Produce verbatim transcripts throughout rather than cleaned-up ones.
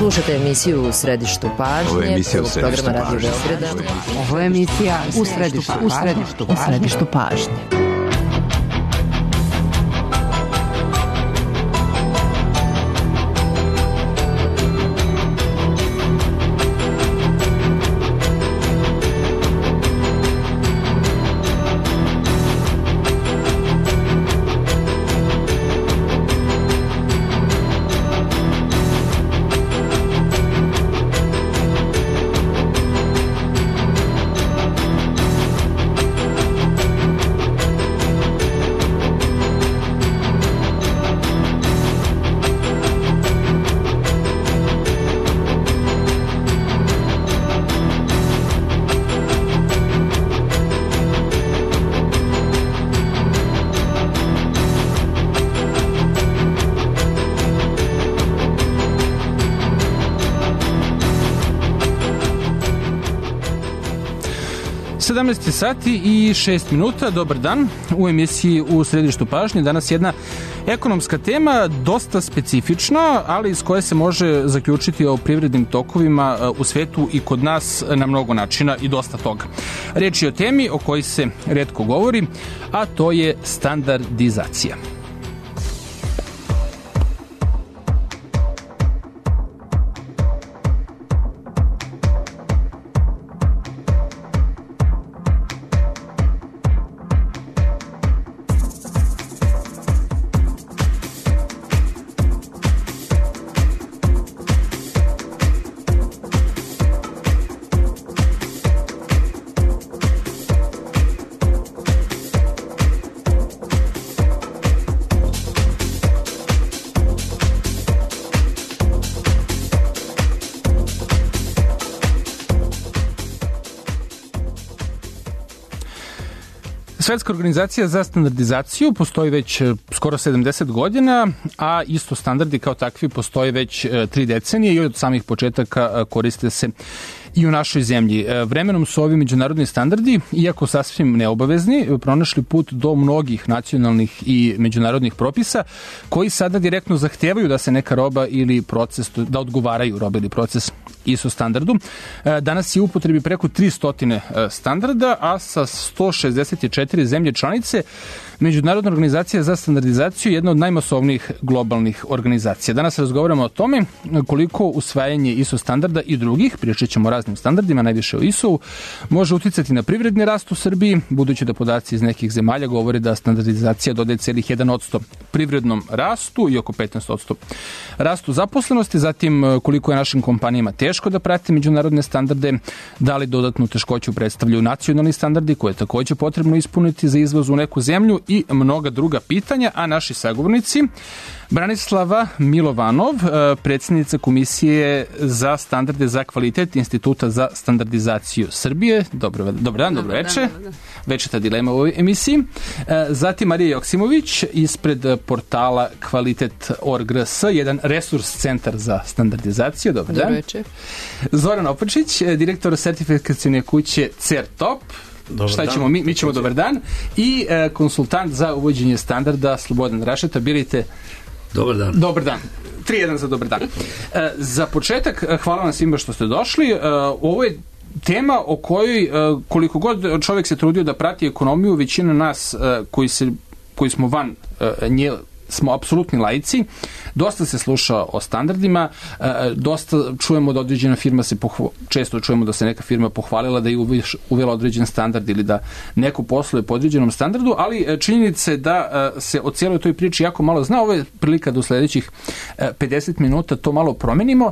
Slušate emisiju U središtu pažnje, prvog programa Radio Beograda. Ovo je emisija U središtu, u središtu, u središtu pažnje. sedamnaest sati i šest minuta, dobar dan. U emisiji U središtu pažnje danas jedna ekonomska tema, dosta specifična, ali iz koje se može zaključiti o privrednim tokovima u svetu i kod nas na mnogo načina i dosta toga. Riječ je o temi o kojoj se retko govori, a to je standardizacija. Svetska organizacija za standardizaciju postoji već skoro sedamdeset godina, a isto standardi kao takvi postoje već tri decenije i od samih početaka koriste se i u našoj zemlji. Vremenom su ovi međunarodni standardi, iako sasvim neobavezni, pronašli put do mnogih nacionalnih i međunarodnih propisa koji sada direktno zahtevaju da se neka roba ili proces, da odgovaraju roba ili proces I S O standardu. Danas je u upotrebi preko tristo standarda, a sa sto šezdeset četiri zemlje članice Međunarodna organizacija za standardizaciju je jedna od najmasovnijih globalnih organizacija. Danas razgovaramo o tome koliko usvajanje I S O standarda i drugih, pričat ćemo o raznim standardima, najviše o I S O-u, može uticati na privredni rast u Srbiji, budući da podaci iz nekih zemalja govore da standardizacija dodaje celih jedan posto privrednom rastu i oko petnaest posto rastu zaposlenosti, zatim koliko je našim kompanijama teško da prate međunarodne standarde, da li dodatnu teškoću predstavljaju nacionalni standardi koje je takođe potrebno ispuniti za izvoz u neku zemlju i mnoga druga pitanja, a naši sagovornici Branislava Milovanov, predsjednica Komisije za standarde za kvalitet Instituta za standardizaciju Srbije. Dobro, dobar dan, dobro veče. Večeta dilema u ovoj emisiji. Zatim Marija Joksimović ispred portala kvalitet tačka org tačka r s, jedan resurs centar za standardizaciju. Dobar dan. Dobro veče. Zoran Opačić, direktor sertifikacione kuće CERTOP. Dobar Šta ćemo? Mi, mi ćemo dobar dan. I e, konsultant za uvođenje standarda Slobodan Rašeta. Birite. Dobar dan. Dobar dan. tri jedan za dobar dan. E, za početak, hvala vam svima što ste došli. E, ovo je tema o kojoj, e, koliko god čovjek se trudio da prati ekonomiju, većina nas e, koji, se, koji smo van e, nje smo apsolutni laici, dosta se sluša o standardima, dosta čujemo da određena firma se pohva, često čujemo da se neka firma pohvalila da je uvela određen standard ili da neko posluje po određenom standardu, ali činjenica je da se o cijeloj toj priči jako malo zna. Ovo je prilika da u sledećih pedeset minuta to malo promenimo.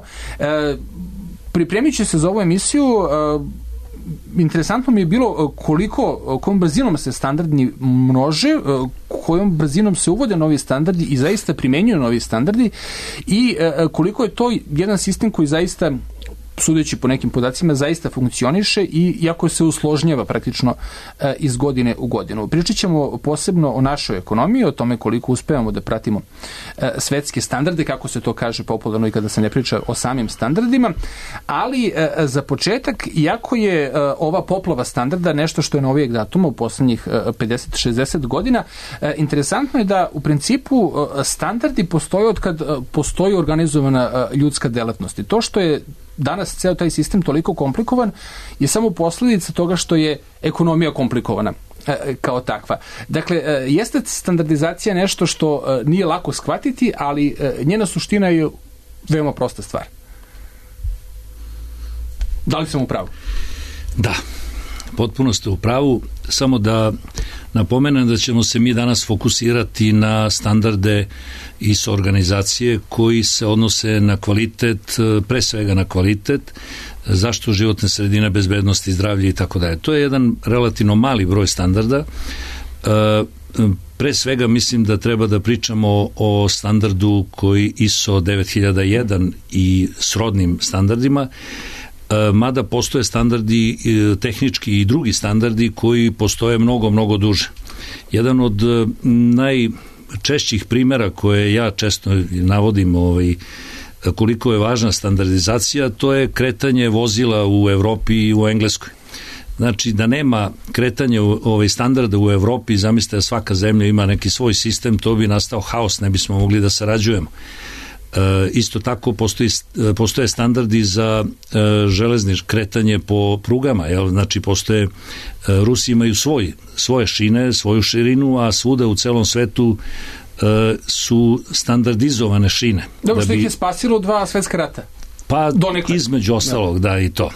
Pripremići se za ovu emisiju, interesantno mi je bilo koliko, kojom brzinom se standardi množe, kojom brzinom se uvode novi standardi i zaista primenjuju novi standardi i koliko je to jedan sistem koji zaista sudeći po nekim podacima, zaista funkcioniše i iako se usložnjava praktično iz godine u godinu. Pričat ćemo posebno o našoj ekonomiji, o tome koliko uspevamo da pratimo svetske standarde, kako se to kaže popularno i kada se ne priča o samim standardima, ali za početak, iako je ova poplava standarda nešto što je novijeg datuma u poslednjih pedeset šezdeset godina, interesantno je da u principu standardi postoje od kad postoji organizovana ljudska delatnost. I to što je danas ceo taj sistem toliko komplikovan je samo posledica toga što je ekonomija komplikovana kao takva. Dakle, jeste standardizacija nešto što nije lako shvatiti, ali njena suština je veoma prosta stvar. Da li sam u pravu? Da, potpuno ste u pravu, samo da napomenem da ćemo se mi danas fokusirati na standarde I S O organizacije koji se odnose na kvalitet, pre svega na kvalitet, zaštitu životne sredine, bezbednosti, zdravlje i tako dalje. To je jedan relativno mali broj standarda. Pre svega mislim da treba da pričamo o standardu koji I S O devet hiljada jedan i srodnim standardima, mada postoje standardi, tehnički i drugi standardi koji postoje mnogo, mnogo duže. Jedan od najčešćih primjera koje ja često navodim ovaj, koliko je važna standardizacija, to je kretanje vozila u Evropi i u Engleskoj. Znači da nema kretanja ovaj, standarda u Evropi, zamislite da svaka zemlja ima neki svoj sistem, to bi nastao haos, ne bismo mogli da sarađujemo. E, isto tako postoji, postoje standardi za e, železničko kretanje po prugama, jel? Znači postoje, e, Rusi imaju svoj, svoje šine, svoju širinu, a svuda u celom svetu e, su standardizovane šine. Dobro, da što bi, ih je spasilo dva svetska rata. Pa donekle. Između ostalog, da. da i to.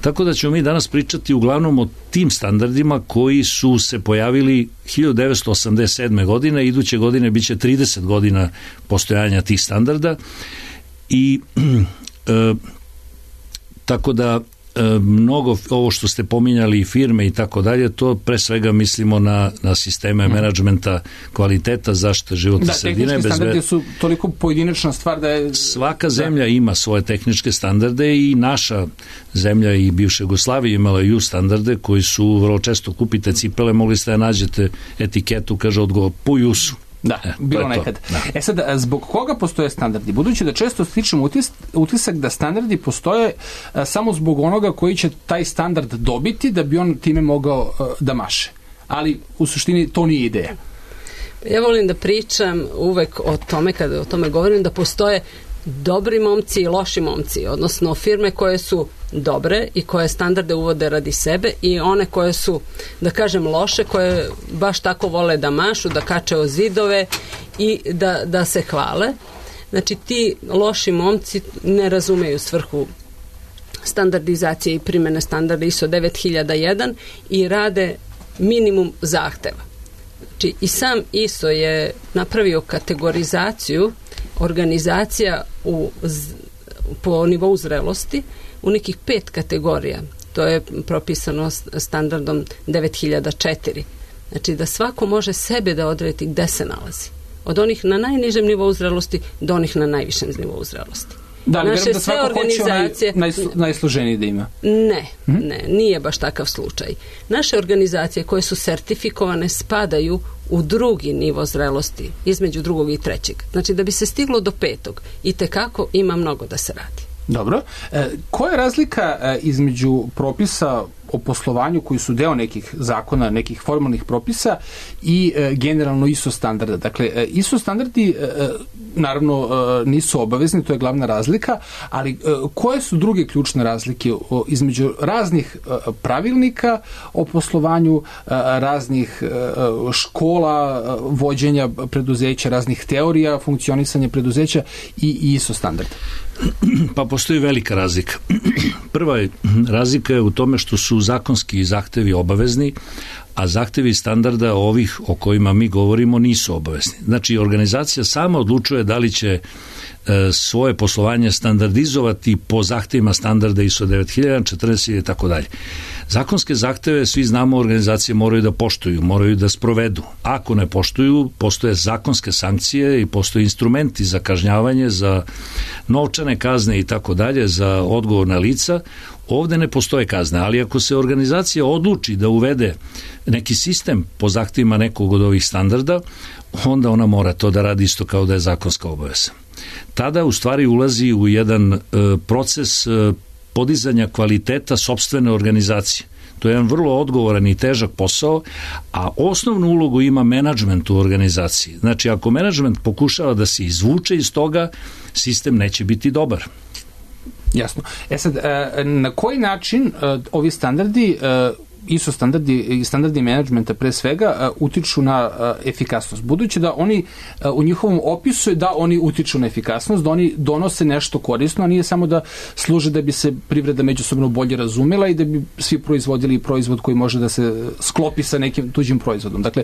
Tako da ćemo mi danas pričati uglavnom o tim standardima koji su se pojavili hiljadu devetsto osamdeset sedme. godine, iduće godine biće trideset godina postojanja tih standarda i e, tako da e, mnogo ovo što ste pominjali firme i tako dalje, to pre svega mislimo na, na sisteme hmm. menadžmenta kvaliteta, zaštite životne da, sredine. Da, tehnički standardi su toliko pojedinačna stvar da je... Svaka zemlja da. ima svoje tehničke standarde i naša zemlja i bivša Jugoslavija imala ju standarde koji su vrlo često kupite cipele, mogli ste da nađete etiketu, kaže odgovor, po jusu. Da, e, bilo nekad. Da. E sad, zbog koga postoje standardi? Budući da često stičemo utis, utisak da standardi postoje a, samo zbog onoga koji će taj standard dobiti da bi on time mogao a, da maše. Ali u suštini to nije ideja. Ja volim da pričam uvek o tome, kada o tome govorim, da postoje dobri momci i loši momci, odnosno firme koje su dobre i koje standarde uvode radi sebe i one koje su, da kažem, loše, koje baš tako vole da mašu, da kače o zidove i da, da se hvale. Znači, ti loši momci ne razumeju svrhu standardizacije i primene standarda I S O devet hiljada jedan i rade minimum zahteva. Znači, i sam I S O je napravio kategorizaciju organizacija u, po nivou zrelosti u nekih pet kategorija. To je propisano standardom devet hiljada četiri. Znači da svako može sebe da odredi gde se nalazi. Od onih na najnižem nivou zrelosti do onih na najvišem nivou zrelosti. Da, naše da sve organizacije naj, naj, najsloženiji da ima. Ne, hm? ne, nije baš takav slučaj. Naše organizacije koje su sertifikovane spadaju u drugi nivo zrelosti, između drugog i trećeg. Znači da bi se stiglo do petog i tekako ima mnogo da se radi. Dobro. E, koja je razlika e, između propisa o poslovanju koji su deo nekih zakona, nekih formalnih propisa i e, generalno I S O standarda? Dakle, e, I S O standardi e, naravno e, nisu obavezni, to je glavna razlika, ali e, koje su druge ključne razlike o, između raznih e, pravilnika o poslovanju, e, raznih e, škola, e, vođenja preduzeća, raznih teorija funkcionisanja preduzeća i, i I S O standarda? Pa postoji velika razlika. Prva je, razlika je u tome što su zakonski zahtevi obavezni, a zahtevi standarda ovih o kojima mi govorimo nisu obavezni. Znači, organizacija sama odlučuje da li će e, svoje poslovanje standardizovati po zahtevima standarda I S O devet hiljada, četrdeset i tako dalje. Zakonske zahteve, svi znamo, organizacije moraju da poštuju, moraju da sprovedu. Ako ne poštuju, postoje zakonske sankcije i postoje instrumenti za kažnjavanje, za novčane kazne i tako dalje, za odgovorna lica. Ovde ne postoje kazne, ali ako se organizacija odluči da uvede neki sistem po zahtevima nekog od ovih standarda, onda ona mora to da radi isto kao da je zakonska obaveza. Tada u stvari ulazi u jedan e, proces e, podizanja kvaliteta sopstvene organizacije. To je jedan vrlo odgovoran i težak posao, a osnovnu ulogu ima menadžment u organizaciji. Znači, ako menadžment pokušava da se izvuče iz toga, sistem neće biti dobar. Jasno. E sad, na koji način ovi standardi, I S O standardi i standardi menadžmenta pre svega utiču na efikasnost? Budući da oni u njihovom opisu je da oni utiču na efikasnost, da oni donose nešto korisno, a nije samo da služe da bi se privreda međusobno bolje razumela i da bi svi proizvodili proizvod koji može da se sklopi sa nekim tuđim proizvodom. Dakle,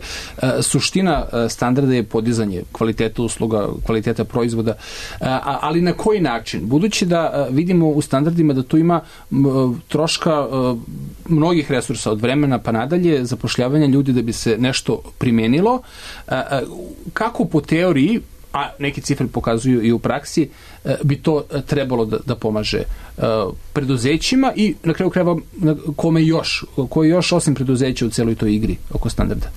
suština standarda je podizanje kvaliteta usluga, kvaliteta proizvoda, ali na koji način? Budući da vidimo u standardima da tu ima troška mnogih resursa od vremena pa nadalje, zapošljavanja ljudi da bi se nešto primenilo, kako po teoriji, a neke cifre pokazuju i u praksi, bi to trebalo da, da pomaže preduzećima i na kraju krajeva kome još, koji još osim preduzeća u celoj toj igri oko standarda?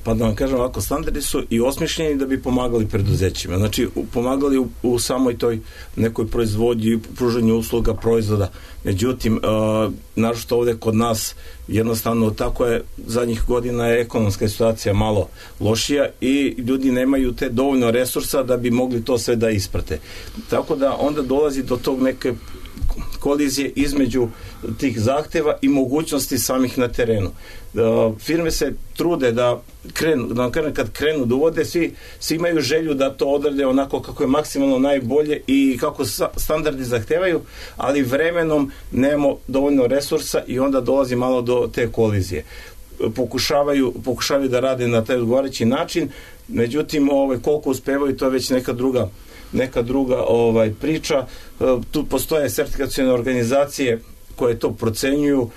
Pa da vam kažem ovako, standardi su i osmišljeni da bi pomagali preduzećima. Znači, pomagali u, u samoj toj nekoj proizvodnji, pružanju usluga, proizvoda. Međutim, uh, naročito ovde kod nas, jednostavno tako je, zadnjih godina je ekonomska situacija malo lošija i ljudi nemaju te dovoljno resursa da bi mogli to sve da isprate. Tako da onda dolazi do tog neke kolizije između tih zahteva i mogućnosti samih na terenu. Uh, firme se trude da krenu, da krenu, kad krenu da uvode, svi, svi imaju želju da to odrade onako kako je maksimalno najbolje i kako standardi zahtevaju, ali vremenom nemamo dovoljno resursa i onda dolazi malo do te kolizije. Pokušavaju, pokušavaju da rade na taj odgovarajući način, međutim ovaj, koliko uspevaju, to je već neka druga neka druga ovaj priča. Tu postoje sertifikacione organizacije koje to procenjuju.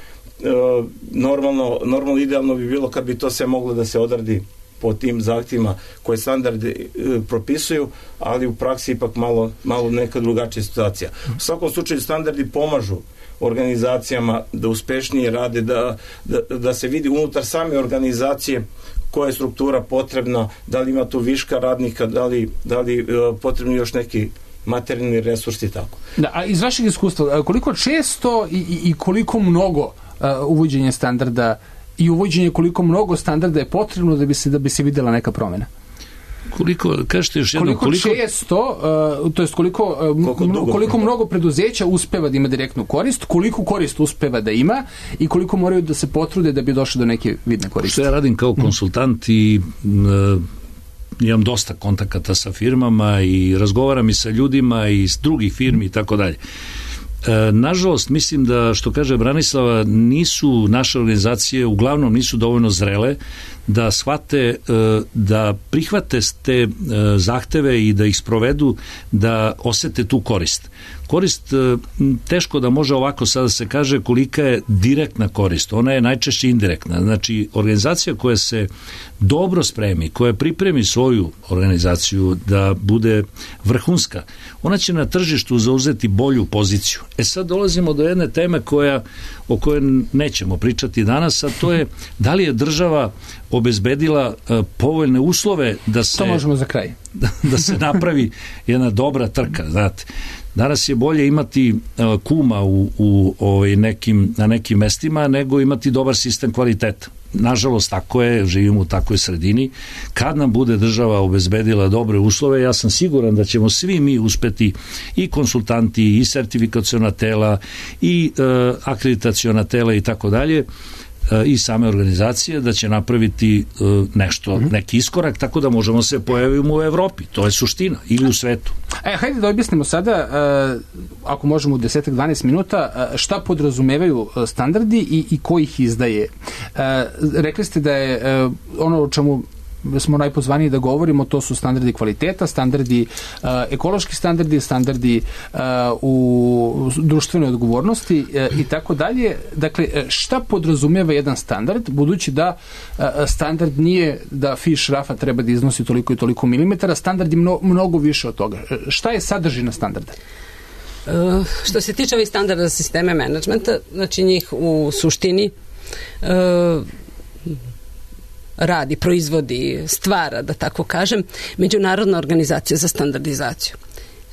Normalno, normalno idealno bi bilo kad bi to sve moglo da se odradi po tim zahtjevima koje standardi propisuju, ali u praksi ipak malo, malo neka drugačija situacija. U svakom slučaju standardi pomažu organizacijama da uspešnije rade, da, da, da se vidi unutar same organizacije koja je struktura potrebna, da li ima tu viška radnika, da li, da li uh, potrebni još neki materijalni resursi i tako. Da, a iz vašeg iskustva, koliko često i, i, i koliko mnogo uh, uvođenje standarda i uvođenje koliko mnogo standarda je potrebno da bi se, da bi se videla neka promena? Koliko, kažete još jedno, koliko, koliko često, uh, to jest koliko, uh, koliko, dugo, koliko mnogo preduzeća uspeva da ima direktnu korist, koliko korist uspeva da ima i koliko moraju da se potrude da bi došli do neke vidne koristi. Što ja radim kao konsultant i uh, imam dosta kontakata sa firmama i razgovaram i sa ljudima i s drugih firmi i tako dalje. E, nažalost, mislim da, što kaže Branislava, nisu naše organizacije, uglavnom nisu dovoljno zrele da shvate, e, da prihvate te e, zahteve i da ih sprovedu, da osete tu korist. Korist, e, teško da može ovako sada se kaže kolika je direktna korist, ona je najčešće indirektna. Znači, organizacija koja se dobro spremi, koja pripremi svoju organizaciju da bude vrhunska, ona će na tržištu zauzeti bolju poziciju. E sad dolazimo do jedne teme koja, o kojoj nećemo pričati danas, a to je da li je država obezbedila uh, povoljne uslove da se, to možemo za kraj. da, da se napravi jedna dobra trka, znate. Danas je bolje imati uh, kuma u, u ovaj, nekim, na nekim mestima nego imati dobar sistem kvaliteta. Nažalost, tako je, živimo u takvoj sredini. Kad nam bude država obezbedila dobre uslove, ja sam siguran da ćemo svi mi uspeti, i konsultanti, i sertifikaciona tela, i e, akreditaciona tela i tako dalje, i same organizacije, da će napraviti e, nešto, mm-hmm. neki iskorak, tako da možemo se pojaviti u Evropi. To je suština. Ili u svetu. E, hajde da objasnimo sada, e, ako možemo u deset do dvanaest minuta, e, šta podrazumevaju standardi i, i ko ih izdaje. E, rekli ste da je e, ono o čemu smo najpozvaniji da govorimo, to su standardi kvaliteta, standardi, uh, ekološki standardi, standardi uh, u društvenoj odgovornosti uh, i tako dalje. Dakle, šta podrazumeva jedan standard, budući da uh, standard nije da fiš rafa treba da iznosi toliko i toliko milimetara, standard je mno, mnogo više od toga. Šta je sadržina standarda? Uh, što se tiče ovih standarda za sisteme menadžmenta, znači njih u suštini uh, radi, proizvodi, stvara, da tako kažem, Međunarodna organizacija za standardizaciju.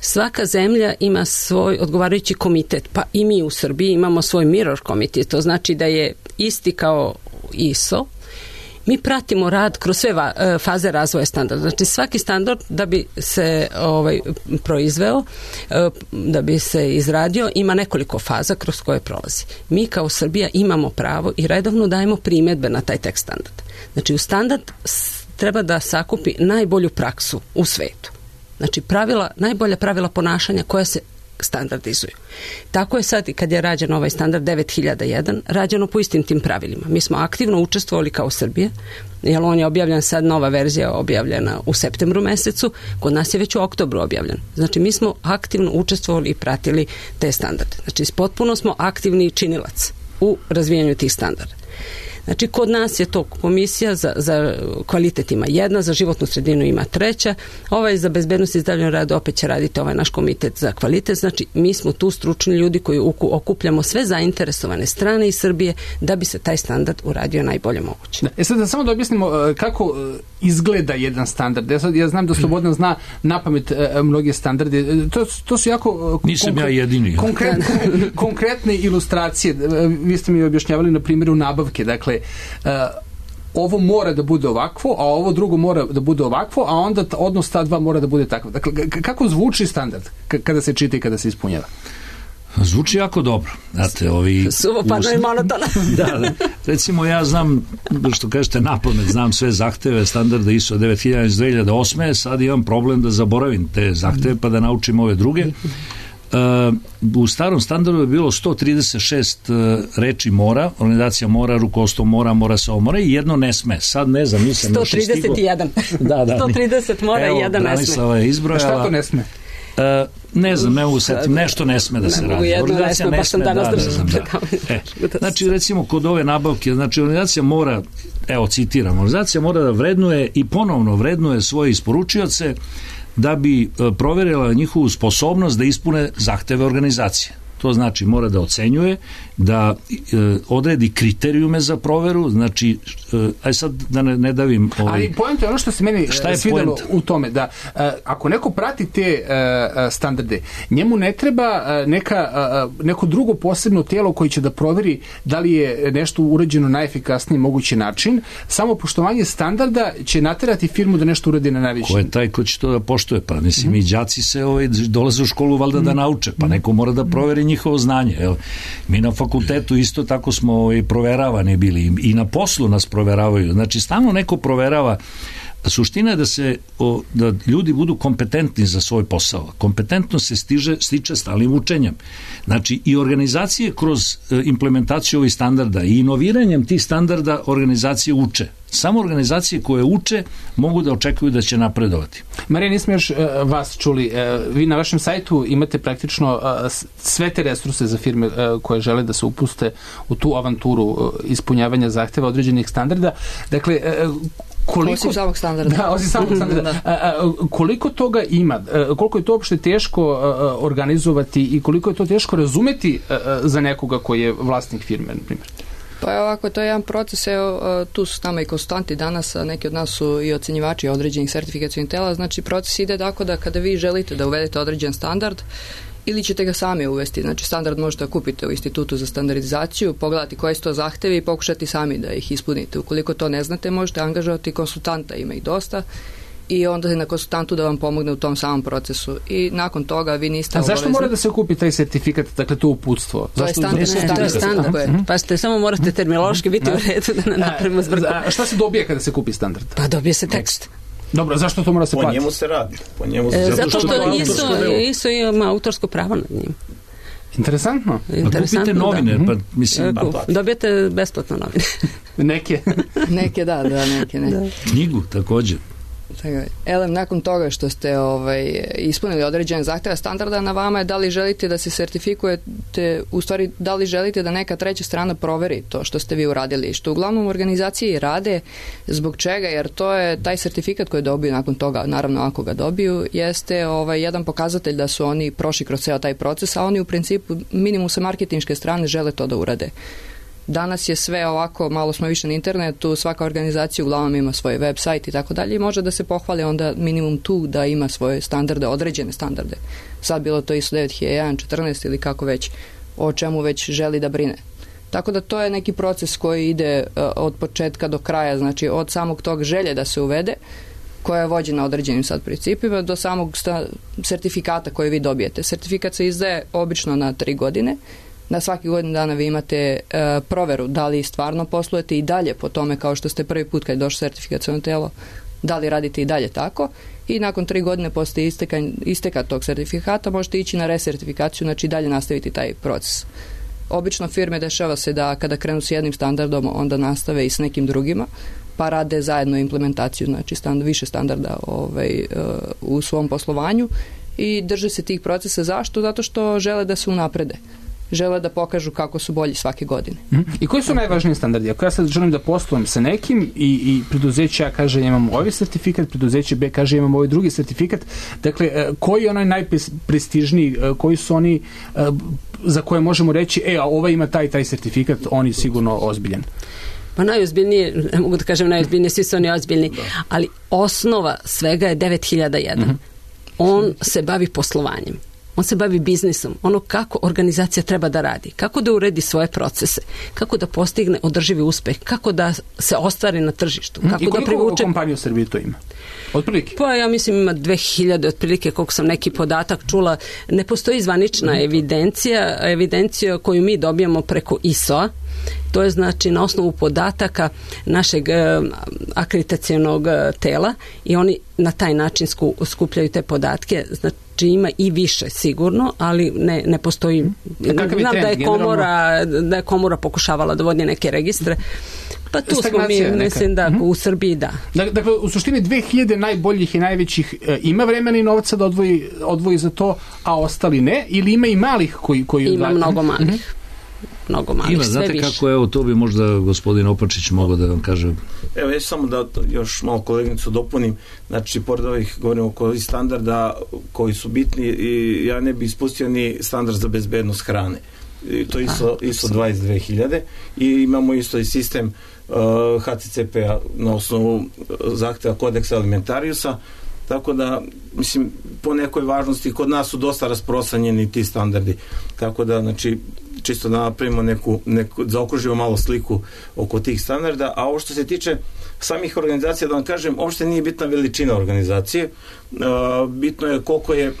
Svaka zemlja ima svoj odgovarajući komitet, pa i mi u Srbiji imamo svoj mirror komitet, to znači da je isti kao I S O. Mi pratimo rad kroz sve va, faze razvoja standarda. Znači svaki standard da bi se ovaj, proizveo, da bi se izradio, ima nekoliko faza kroz koje prolazi. Mi kao Srbija imamo pravo i redovno dajemo primjedbe na taj tekst standarda. Znači u standard treba da sakupi najbolju praksu u svetu. Znači pravila, najbolja pravila ponašanja koja se standardizuju. Tako je sad i kad je rađen ovaj standard devet hiljada jedan, rađeno po istim tim pravilima. Mi smo aktivno učestvovali kao Srbija, jer on je objavljen sad, nova verzija objavljena u septembru mesecu, kod nas je već u oktobru objavljen. Znači mi smo aktivno učestvovali i pratili te standarde. Znači potpuno smo aktivni činilac u razvijanju tih standarda. Znači, kod nas je to komisija za, za kvalitet ima jedna, za životnu sredinu ima treća, ovaj za bezbednost i zdravlje rada opet će raditi ovaj naš komitet za kvalitet. Znači, mi smo tu stručni ljudi koji okupljamo sve zainteresovane strane iz Srbije da bi se taj standard uradio najbolje moguće. Da, e sad da samo da objasnimo kako izgleda jedan standard. Ja, sad, ja znam da Slobodan zna napamet mnoge standarde. To, to su jako Nisam konkre, ja jedini. Konkretne, konkretne ilustracije. Vi ste mi objašnjavali na primjeru nabavke. Dakle, Uh, ovo mora da bude ovakvo, a ovo drugo mora da bude ovakvo, a onda odnos ta dva mora da bude takvo. Dakle, kako zvuči standard kada se čita i kada se ispunjava? Zvuči jako dobro. Znate, ovi... Suvo padno i monotona. Da, da. Recimo, ja znam, što kažete napamet, znam sve zahteve standarda I S O devet hiljada iz dve hiljade osme, sad imam problem da zaboravim te zahteve pa da naučim ove druge. Uh, u starom standardu je bilo sto trideset šest uh, reči mora, organizacija mora, rukovodstvo mora, mora se omora i jedno ne sme. Sad ne znam, nisam sto trideset jedan. Da, da. sto trideset mora i jedan ne sme. Branislava je izbrojala. A šta to ne sme? Uh, ne znam, ne mogu setim, nešto ne sme da se radi. Organizacija ne sme, da, da, da. E, znači, recimo, kod ove nabavke, znači, organizacija mora, evo, citiram, organizacija mora da vrednuje i ponovno vrednuje svoje isporučioce da bi proverila njihovu sposobnost da ispune zahteve organizacije. To znači mora da ocenjuje, da e, odredi kriterijume za proveru, znači, e, aj sad da ne, ne davim... Ovaj, ali point je ono što se meni svidelo u tome, da e, ako neko prati te e, standarde, njemu ne treba e, neka, e, neko drugo posebno tijelo koji će da proveri da li je nešto urađeno na efikasniji mogući način, samo poštovanje standarda će naterati firmu da nešto uradi na najviši. Ko je taj ko će to da poštuje? Pa mislim, mm. i đaci se ovaj, dolaze u školu valjda mm. da nauče, pa neko mora da proveri njihovo znanje. Evo, mi na fakultetu isto tako smo i proveravani bili i na poslu nas proveravaju. Znači, stalno neko proverava. Suština je da se o, da ljudi budu kompetentni za svoj posao. Kompetentnost se stiže, stiče stalnim učenjem. Znači, i organizacije kroz e, implementaciju ovih standarda i inoviranjem tih standarda organizacije uče. Samo organizacije koje uče mogu da očekuju da će napredovati. Marija, nismo još uh, vas čuli. Uh, vi na vašem sajtu imate praktično uh, sve te resurse za firme uh, koje žele da se upuste u tu avanturu uh, ispunjavanja zahteva određenih standarda. Dakle, uh, koliko... Osim samog standarda. Da, osim samog standarda. uh, uh, koliko toga ima? Uh, koliko je to uopšte teško uh, organizovati i koliko je to teško razumeti uh, za nekoga koji je vlasnik firme, na primjer? Pa je ovako, to je jedan proces, evo, tu su s nama i konsultanti danas, a neki od nas su i ocenjivači određenih sertifikacijnih tela, znači proces ide tako da kada vi želite da uvedete određen standard, ili ćete ga sami uvesti, znači standard možete kupiti u Institutu za standardizaciju, pogledati koji su to zahtevi i pokušati sami da ih ispunite. Ukoliko to ne znate, možete angažovati konsultanta, ima ih dosta, i onda je na konsultantu da vam pomogne u tom samom procesu. I nakon toga vi niste obavezni. A zašto obavezni... mora da se kupi taj sertifikat, dakle to uputstvo? To je standard. Ne, to je standard. Uh-huh. Pa ste samo morate terminološki biti u redu da ne napravimo zbrku. A šta se dobije kada se kupi standard? Pa dobije se tekst. Dobro, zašto to mora se platiti? Po njemu se radi. Po njemu se... E, zato što I S O, I S O ima autorsko pravo nad njim. Interesantno. Interesantno, kupite novine, da. Pa mislim... Kup, dobijete besplatno novine. Neke. Neke, da, da, neke, ne. Da. Knjigu, također. Elem, nakon toga što ste ovaj, ispunili određene zahteve standarda, na vama je da li želite da se sertifikujete, u stvari da li želite da neka treća strana proveri to što ste vi uradili, što uglavnom organizacije rade. Zbog čega? Jer to je taj sertifikat koji dobiju nakon toga, naravno ako ga dobiju, jeste ovaj, jedan pokazatelj da su oni prošli kroz ceo taj proces, a oni u principu minimum sa marketinške strane žele to da urade. Danas je sve ovako, malo smo više na internetu, svaka organizacija uglavnom ima svoj web sajt i tako dalje i može da se pohvali onda minimum tu da ima svoje standarde, određene standarde. Sad bilo to I S O devet hiljada jedan, četrnaest ili kako već, o čemu već želi da brine. Tako da to je neki proces koji ide uh, od početka do kraja, znači od samog tog želje da se uvede, koja je vođena određenim sad principima, do samog sta- sertifikata koji vi dobijete. Sertifikat se izdaje obično na tri godine. Na svaki godin dana vi imate e, proveru da li stvarno poslujete i dalje po tome kao što ste prvi put kad je došlo sertifikaciono telo, da li radite i dalje tako i nakon tri godine posle isteka, isteka tog sertifikata možete ići na resertifikaciju, znači dalje nastaviti taj proces. Obično firme dešava se da kada krenu s jednim standardom onda nastave i s nekim drugima, pa rade zajedno implementaciju, znači stand, više standarda ovaj, u svom poslovanju i drže se tih procesa. Zašto? Zato što žele da se unaprede. Žele da pokažu kako su bolji svake godine. Mm-hmm. I koji su najvažniji standardi? Ako ja sad želim da poslujem sa nekim i, i preduzeće A kaže imam ovaj sertifikat, preduzeće B kaže imam ovaj drugi sertifikat, dakle, koji je onaj najprestižniji, koji su oni za koje možemo reći, e, a ovaj ima taj taj sertifikat, on je sigurno ozbiljan? Pa najozbiljnije, ne mogu da kažem najozbiljnije, svi su oni ozbiljni, ali osnova svega je devet hiljada jedan. Mm-hmm. On se bavi poslovanjem. On se bavi biznisom, ono kako organizacija treba da radi, kako da uredi svoje procese, kako da postigne održivi uspeh, kako da se ostvari na tržištu. Kako I koliko da privuče... kompanija u Srbiji to ima? Otprilike? Pa ja mislim ima dve hiljade otprilike, koliko sam neki podatak čula. Ne postoji zvanična mm-hmm. evidencija, evidencija koju mi dobijamo preko I S O-a. To je znači na osnovu podataka našeg e, akreditacionog e, tela i oni na taj način sku, skupljaju te podatke. Znači ima i više sigurno, ali ne, ne postoji. Znam da je komora, da je komora pokušavala da vodi neke registre. Pa tu smo mi, neka. Mislim da u Srbiji da. Dakle, u suštini dve hiljade najboljih i najvećih e, ima vremena i novca da odvoji, odvoji za to, a ostali ne? Ili ima i malih koji... koji ima odvajaju? Mnogo malih. Mm-hmm. Mnogo malih, ima, sve znate više. Kako, evo, to bi možda gospodin Opačić mogao da vam kaže. Evo, ja samo da još malo koleginicu dopunim, znači, pored ovih, govorimo oko standarda koji su bitni i ja ne bi ispustio ni standard za bezbednost hrane. I to je ISO, ISO dvadeset dve hiljade i imamo isto i sistem uh, H C C P-a na osnovu zahteva kodeksa alimentariusa, tako da, mislim, po nekoj važnosti kod nas su dosta rasprostranjeni ti standardi, tako da, znači, čisto da napravimo neku, neku zaokružimo malo sliku oko tih standarda, a ovo što se tiče samih organizacija, da vam kažem, uopšte nije bitna veličina organizacije, uh, bitno je koliko je uh,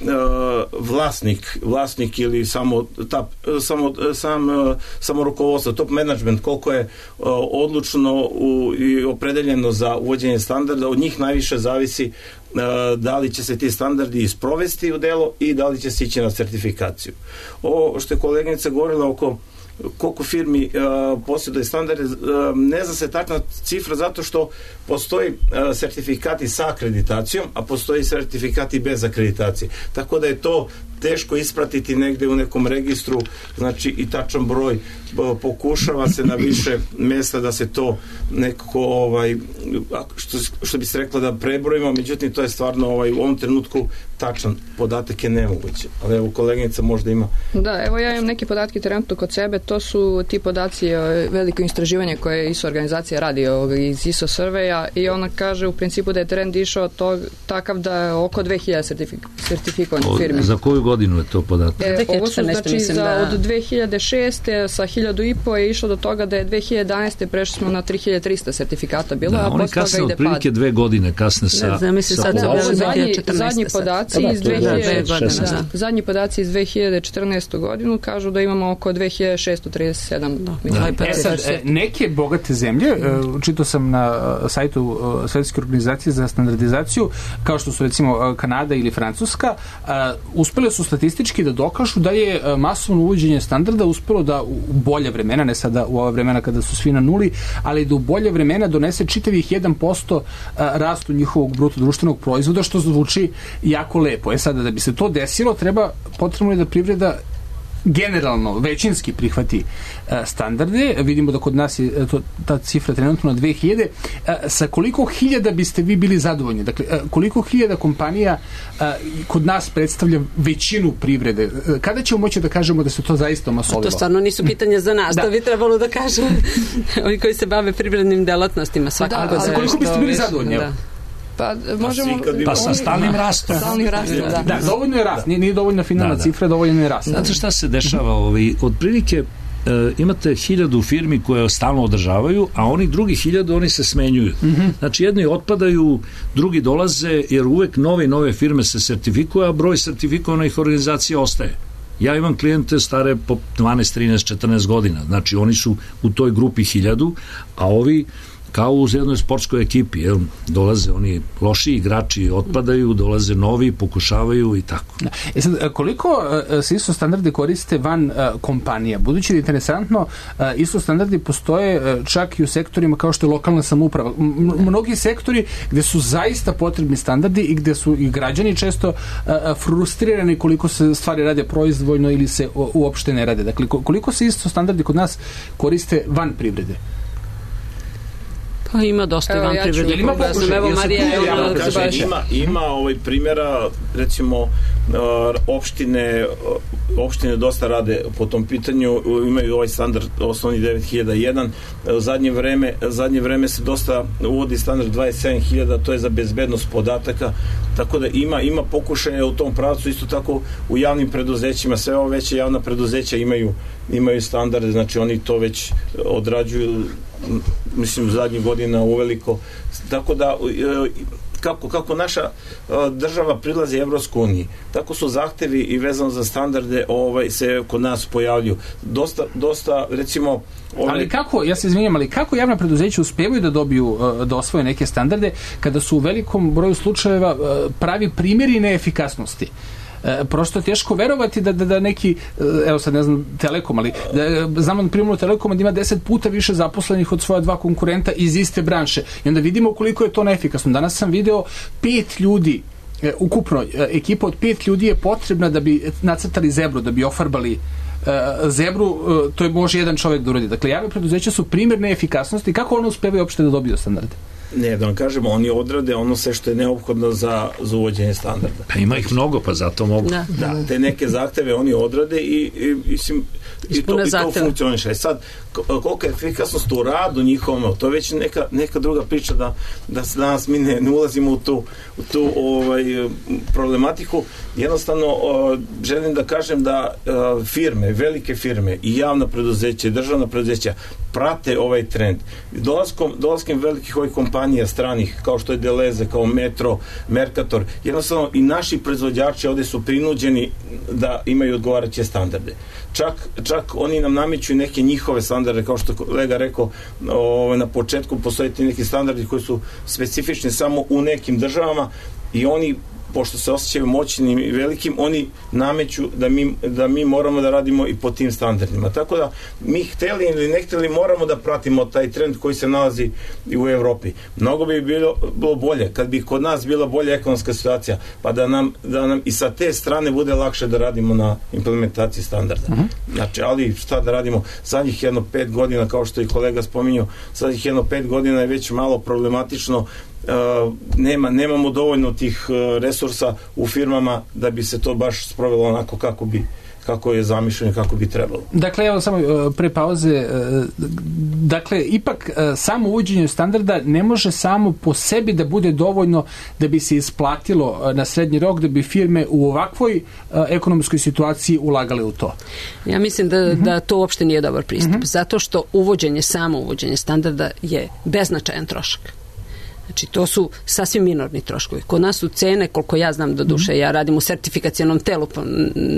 vlasnik, vlasnik ili samo, ta, samo, sam, uh, samo rukovodstvo, top management, koliko je uh, odlučno u, i opredeljeno za uvođenje standarda, od njih najviše zavisi uh, da li će se ti standardi isprovesti u delo i da li će se ići na sertifikaciju. Ovo što je koleginica govorila oko koliko firmi uh, posjeduje standarde, uh, ne zna se tačna cifra zato što postoji uh, sertifikati sa akreditacijom, a postoji sertifikati bez akreditacije. Tako da je to teško ispratiti negde u nekom registru, znači i tačan broj, pokušava se na više mesta da se to nekako ovaj, što, što bi se rekla da prebrojimo, međutim to je stvarno ovaj, u ovom trenutku tačan podatak je nemoguće, ali evo koleginica možda ima. Da, evo ja imam neke podatke trenutno kod sebe, to su ti podaci veliko istraživanje koje I S O organizacija radi iz I S O surveja i ona kaže u principu da je trend išao to, takav da je oko dve hiljade sertifik, sertifikovanih firmi. Za koju godinu je to podatak? E, ovo su znači za, da... od dve hiljade šeste sa hiljadu i po je išlo do toga da je dve hiljade jedanaeste prešli smo na tri hiljade trista sertifikata bilo, da, a oni kasne otprilike dve godine kasne sa, da, misli, sa sad da, ovo zadnji, zadnji podaci iz dve hiljade šesnaeste. Da, zadnji podaci iz dve hiljade četrnaeste godinu kažu da imamo oko dve hiljade šesto trideset sedam. Da. Da. E sad, neke bogate zemlje, čitao sam na sajtu Svetske organizacije za standardizaciju, kao što su recimo Kanada ili Francuska, uspele su su statistički da dokažu da je masovno uvođenje standarda uspelo da u bolje vremena, ne sada u ova vremena kada su svi na nuli, ali da u bolje vremena donese čitavih jedan posto rastu njihovog bruto društvenog proizvoda, što zvuči jako lepo. E sada, da bi se to desilo, treba, potrebno je da privreda generalno, većinski prihvati uh, standarde. Vidimo da kod nas je to, ta cifra trenutno na dve hiljade. Uh, sa koliko hiljada biste vi bili zadovoljni? Dakle, uh, koliko hiljada kompanija uh, kod nas predstavlja većinu privrede? Uh, kada ćemo moći da kažemo da se to zaista omasolilo? To stvarno nisu pitanja za nas. Da. To bi trebalo da kažem ovi koji se bave privrednim delatnostima. Svakako da, za koliko biste bili zadovoljni? Da. Pa možemo... Pa sa stalnim rastom. Stalnim rastom, da. Da, dovoljno je rast. Nije, nije dovoljna finalna da, da. cifra, dovoljno je rast. Znate šta se dešava? Ovaj, otprilike e, imate hiljadu firmi koje stalno održavaju, a oni drugi hiljadu, oni se smenjuju. Mm-hmm. Znači, jedni otpadaju, drugi dolaze, jer uvek nove i nove firme se sertifikuju, a broj sertifikovanih organizacija ostaje. Ja imam klijente stare po dvanaest, trinaest, četrnaest godina. Znači, oni su u toj grupi hiljadu, a ovi kao u jednoj sportskoj ekipi, jel, dolaze oni loši igrači, otpadaju, dolaze novi, pokušavaju i tako. Da. E sad, koliko uh, se isto standardi koriste van uh, kompanija? Budući da je interesantno, uh, isto standardi postoje uh, čak i u sektorima kao što je lokalna samouprava. M- mnogi sektori gde su zaista potrebni standardi i gde su i građani često uh, frustrirani koliko se stvari rade proizvoljno ili se u, uopšte ne rade. Dakle, koliko se isto standardi kod nas koriste van privrede? Pa ima dosta i van ja privrednih. Ima pokušaj. Evo Marija, ja ja kažem, ima, ima ovaj primjera, recimo opštine, opštine dosta rade po tom pitanju, imaju ovaj standard osnovni devet hiljada jedan, zadnje vreme, zadnje vreme se dosta uvodi standard dvadeset sedam hiljada, to je za bezbednost podataka, tako da ima, ima pokušaja u tom pravcu, isto tako u javnim preduzećima, sve ove veće javna preduzeća imaju, imaju standarde, znači oni to već odrađuju, mislim, zadnjih godina uveliko, tako da kako, kako naša država prilazi Evropskoj uniji, tako su zahtevi i vezano za standarde ovaj, se kod nas pojavljuju. Dosta, dosta recimo... Ovaj... Ali kako, ja se izvinjam, ali kako javna preduzeća uspevaju da dobiju, da osvoje neke standarde kada su u velikom broju slučajeva pravi primjeri neefikasnosti? E, prosto je teško verovati da, da, da neki, evo sad ne znam Telekom, ali da, znamo na primjeru Telekoma da ima deset puta više zaposlenih od svoja dva konkurenta iz iste branše i onda vidimo koliko je to neefikasno. Danas sam video pet ljudi, e, ukupno e, ekipa od pet ljudi je potrebna da bi nacrtali zebru, da bi ofarbali e, zebru, e, to je može jedan čovjek da uradi. Dakle, javne preduzeća su primjer neefikasnosti. Kako ono uspevaju uopšte da dobiju standarde? Ne, da vam kažemo, oni odrade ono sve što je neophodno za, za uvođenje standarda. Pa ima ih mnogo, pa zato mogu. Da, da te neke zahteve oni odrade i, i, i, i, to, i to funkcioniše. Sad, kolika je efikasnost u radu njihovom, to je već neka, neka druga priča da, da se danas mi ne, ne ulazimo u tu, u tu ovaj, problematiku. Jednostavno, o, želim da kažem da o, firme, velike firme i javna preduzeća i državna preduzeća prate ovaj trend. Dolaskom, dolaskom velikih ovih kompanija stranih, kao što je Deleze, kao Metro, Mercator, jednostavno i naši proizvođači ovde su prinuđeni da imaju odgovarajuće standarde. Čak, čak oni nam nameću neke njihove standarde, kao što kolega rekao, o, na početku postoje neki standardi koji su specifični samo u nekim državama i oni, pošto se osjećaju moćnim i velikim, oni nameću da mi, da mi moramo da radimo i po tim standardima. Tako da mi hteli ili ne hteli moramo da pratimo taj trend koji se nalazi i u Evropi. Mnogo bi bilo, bilo bolje kad bi kod nas bila bolja ekonomska situacija, pa da nam, da nam i sa te strane bude lakše da radimo na implementaciji standarda. Uh-huh. Znači, ali šta da radimo? Zadnjih jedno pet godina, kao što i kolega spominjao, zadnjih jedno pet godina je već malo problematično. Uh, nema, nemamo dovoljno tih uh, resursa u firmama da bi se to baš sprovelo onako kako bi kako je zamišljeno, kako bi trebalo. Dakle, evo samo uh, pre pauze, uh, dakle, ipak uh, samo uvođenje standarda ne može samo po sebi da bude dovoljno da bi se isplatilo uh, na srednji rok, da bi firme u ovakvoj uh, ekonomskoj situaciji ulagale u to. Ja mislim da, uh-huh. da to uopšte nije dobar pristup, uh-huh. zato što uvođenje, samo uvođenje standarda je beznačajan trošak. Znači, to su sasvim minorni troškovi. Kod nas su cene, koliko ja znam do duše, ja radim u sertifikacionom telu, pa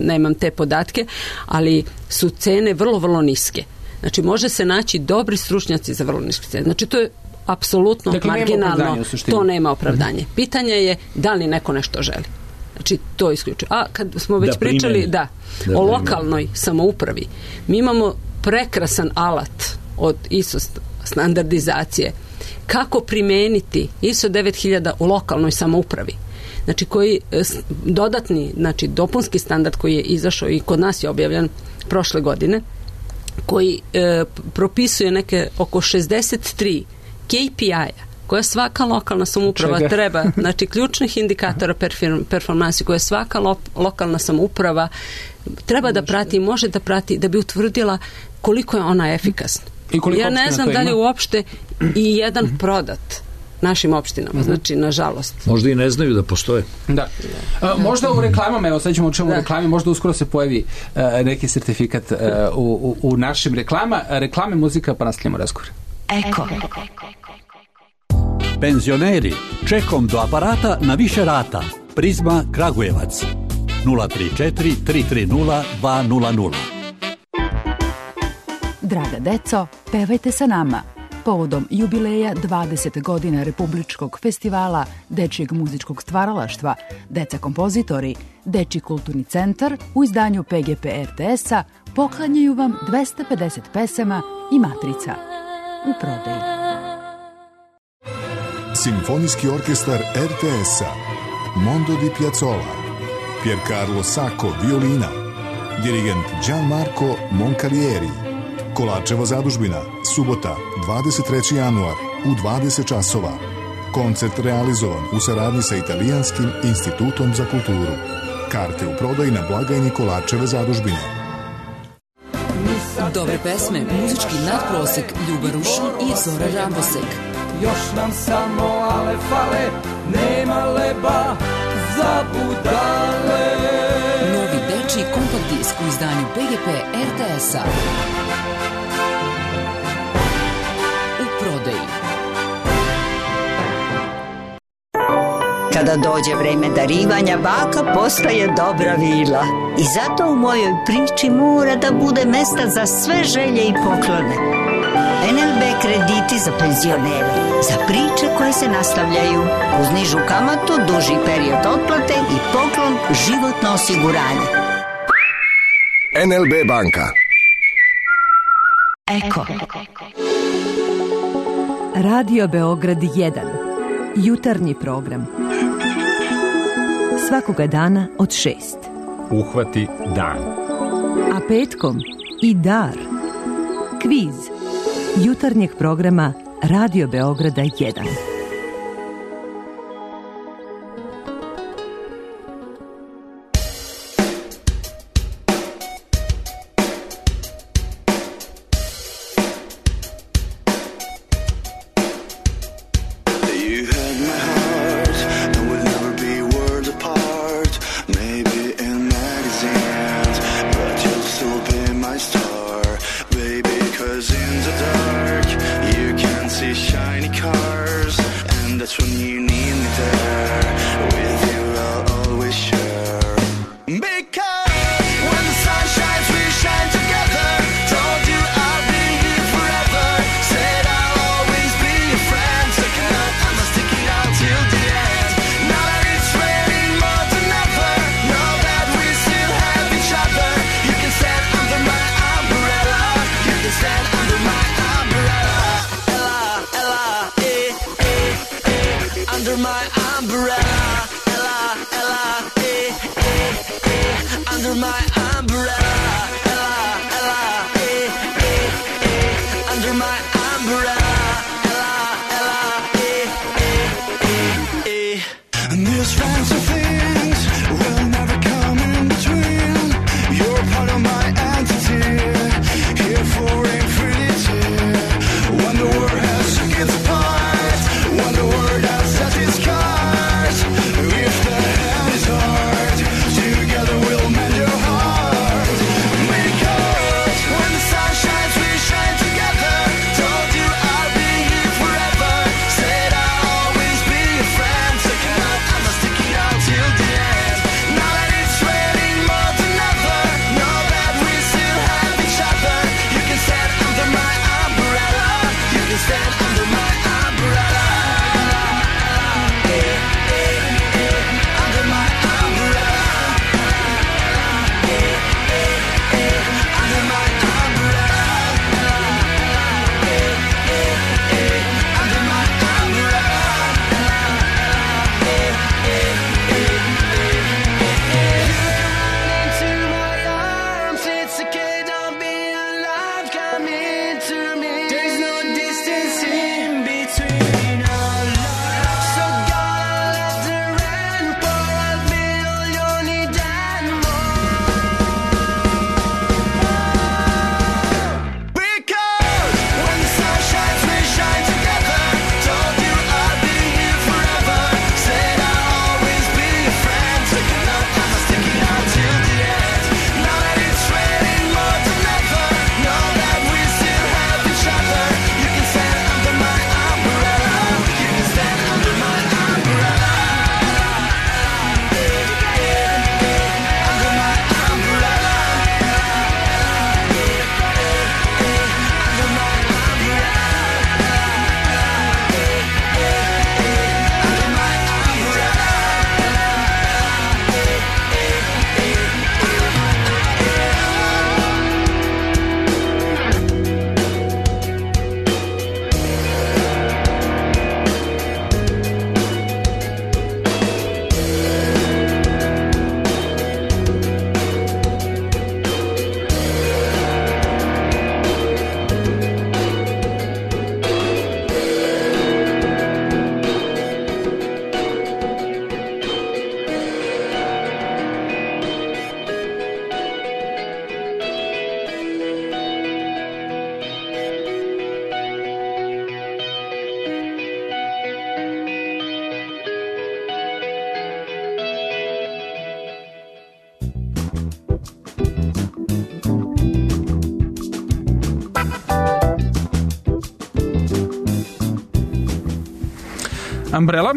nemam te podatke, ali su cene vrlo, vrlo niske. Znači, može se naći dobri stručnjaci za vrlo niske cene. Znači, to je apsolutno dakle, marginalno. To nema opravdanje. Pitanje je da li neko nešto želi. Znači, to isključuje. A kad smo već da pričali da, da, o lokalnoj samoupravi, mi imamo prekrasan alat od I S O standardizacije. Kako primeniti I S O devet hiljada u lokalnoj samoupravi? Znači, koji dodatni, znači, dopunski standard koji je izašao i kod nas je objavljen prošle godine, koji e, propisuje neke oko šezdeset tri K P I-a koja svaka lokalna samouprava Čega? treba, znači ključnih indikatora performansi koje svaka lo, lokalna samouprava treba da prati, može da prati da bi utvrdila koliko je ona efikasna. Ja ne znam da li uopšte i jedan mm-hmm. prodat našim opštinama, mm-hmm. znači nažalost. Možda i ne znaju da postoje. Da. A, možda u reklamama, evo sad ćemo u čemu reklami, možda uskoro se pojavi uh, neki sertifikat uh, u, u, u našim reklama. Reklame, muzika, pa nastavljamo razgovor. Eko. Penzioneri, čekom do aparata na više rata. Prizma Kragujevac. nula tri četiri tri tri nula dva nula nula. Draga deco, pevajte sa nama. Povodom jubileja dvadeset godina Republičkog festivala dečijeg muzičkog stvaralaštva, Deca kompozitori, Dečiji kulturni centar u izdanju P G P R T S-a poklanjaju vam dvesta pedeset pesama i matrica u prodaji. Simfonijski orkestar R T S-a, Mondo di Piazzolla, Piercarlo Sacco violina, dirigent Gianmarco Moncalieri. Kolačeva zadužbina, subota, dvadeset treći januar u dvadeset časova. Koncert realizovan u saradnji sa Italijanskim institutom za kulturu. Karte u prodaji na blagajni Kolačeve zadužbine. Dobre pesme, muzički nadprosek, Ljuba Rušin i Zora Rambosek. Još nam samo ale fale, nema leba za budale. Novi dečiji kompakt disk u izdanju P G P R T S-a. Kada dođe vreme darivanja, baka postaje dobra vila. I zato u mojoj priči mora da bude mesta za sve želje i poklone. N L B krediti za penzionere, za priče koje se nastavljaju, uz nižu kamatu, duži period otplate i poklon životno osiguranje. N L B banka. Eko. Radio Beograd jedan. Jutarnji program. Svakoga dana od šest. Uhvati dan. A petkom i dar. Kviz. Jutarnjeg programa Radio Beograda jedan. Together we'll mend your heart. Umbrella,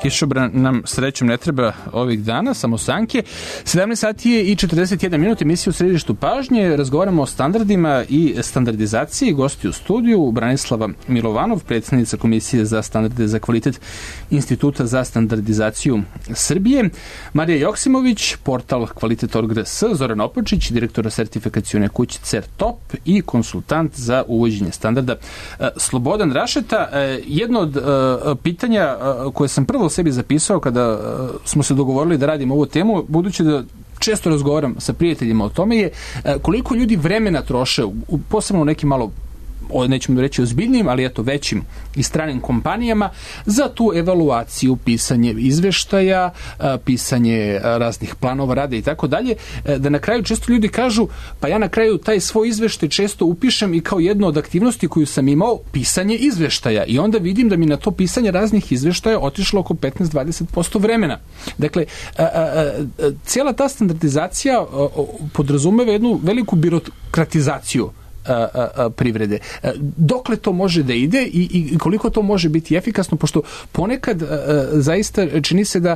kišobran nam srećom ne treba ovih dana, samo sanke. sedamnaest sati je i četrdeset jedan minut, emisija u središtu pažnje. Razgovaramo o standardima i standardizaciji. Gosti u studiju Branislava Milovanov, predsjednica Komisije za standarde za kvalitet Instituta za standardizaciju Srbije, Marija Joksimović, portal kvalitet tačka org tačka rs, Zoran Opočić, direktor sertifikacione kuće CERTOP i konsultant za uvođenje standarda Slobodan Rašeta. Jedno od pitanja koje sam prvo sebi zapisao kada smo se dogovorili da radimo ovu temu, budući da često razgovaram sa prijateljima o tome, je koliko ljudi vremena troše, posebno u nekim malo, nećemo reći ozbiljnim, ali eto većim i stranim kompanijama, za tu evaluaciju, pisanje izveštaja, pisanje raznih planova rada i tako dalje, da na kraju često ljudi kažu, pa ja na kraju taj svoj izveštaj često upišem i kao jednu od aktivnosti koju sam imao, pisanje izveštaja, i onda vidim da mi na to pisanje raznih izveštaja otišlo oko petnaest do dvadeset posto vremena. Dakle, cijela ta standardizacija podrazumeva jednu veliku birokratizaciju privrede. Dokle to može da ide i, i koliko to može biti efikasno, pošto ponekad zaista čini se da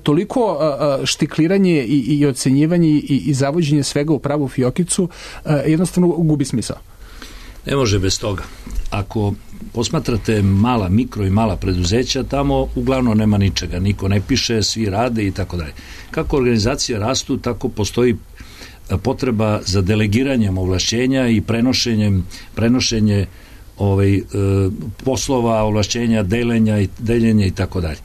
toliko štikliranje i, i ocenjivanje i, i zavođenje svega u pravu fiokicu jednostavno gubi smisao. Ne može bez toga. Ako posmatrate mala, mikro i mala preduzeća, tamo uglavnom nema ničega, niko ne piše, svi rade i tako dalje. Kako organizacije rastu, tako postoji potreba za delegiranjem ovlašćenja i prenošenjem prenošenje ovaj, e, poslova, ovlašćenja, delenja i deljenja i tako dalje.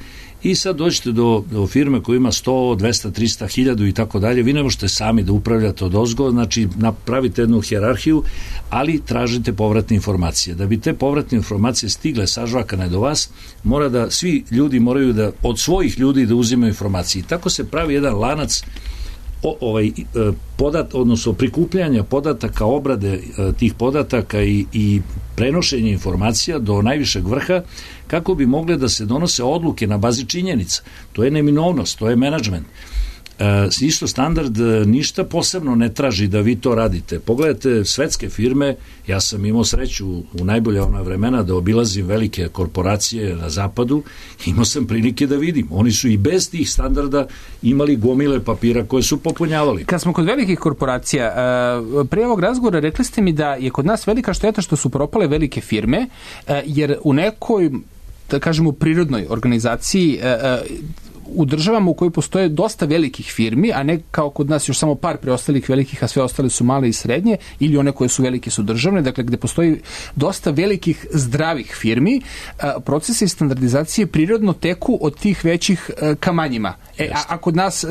I sad dođete do, do firme koja ima sto, dvesta, trista, hiljadu i tako dalje, vi ne možete sami da upravljate odozgo, znači napravite jednu hijerarhiju, ali tražite povratne informacije. Da bi te povratne informacije stigle sažvakane do vas, mora da svi ljudi moraju da od svojih ljudi da uzimaju informacije. I tako se pravi jedan lanac O, ovaj, podat, odnosno prikupljanja podataka, obrade tih podataka i, i prenošenje informacija do najvišeg vrha, kako bi mogle da se donose odluke na bazi činjenica. To je neminovnost, to je menadžment. E, isto standard ništa posebno ne traži da vi to radite. Pogledajte svetske firme, ja sam imao sreću u najbolja ona vremena da obilazim velike korporacije na zapadu, imao sam prilike da vidim. Oni su i bez tih standarda imali gomile papira koje su popunjavali. Kad smo kod velikih korporacija, prije ovog razgovora rekli ste mi da je kod nas velika šteta što su propale velike firme, jer u nekoj, da kažemo, prirodnoj organizaciji u državama u kojoj postoje dosta velikih firmi, a ne kao kod nas još samo par preostalih velikih, a sve ostale su male i srednje, ili one koje su velike su državne, dakle gde postoji dosta velikih zdravih firmi, procesi standardizacije prirodno teku od tih većih ka manjima. E, a, a kod nas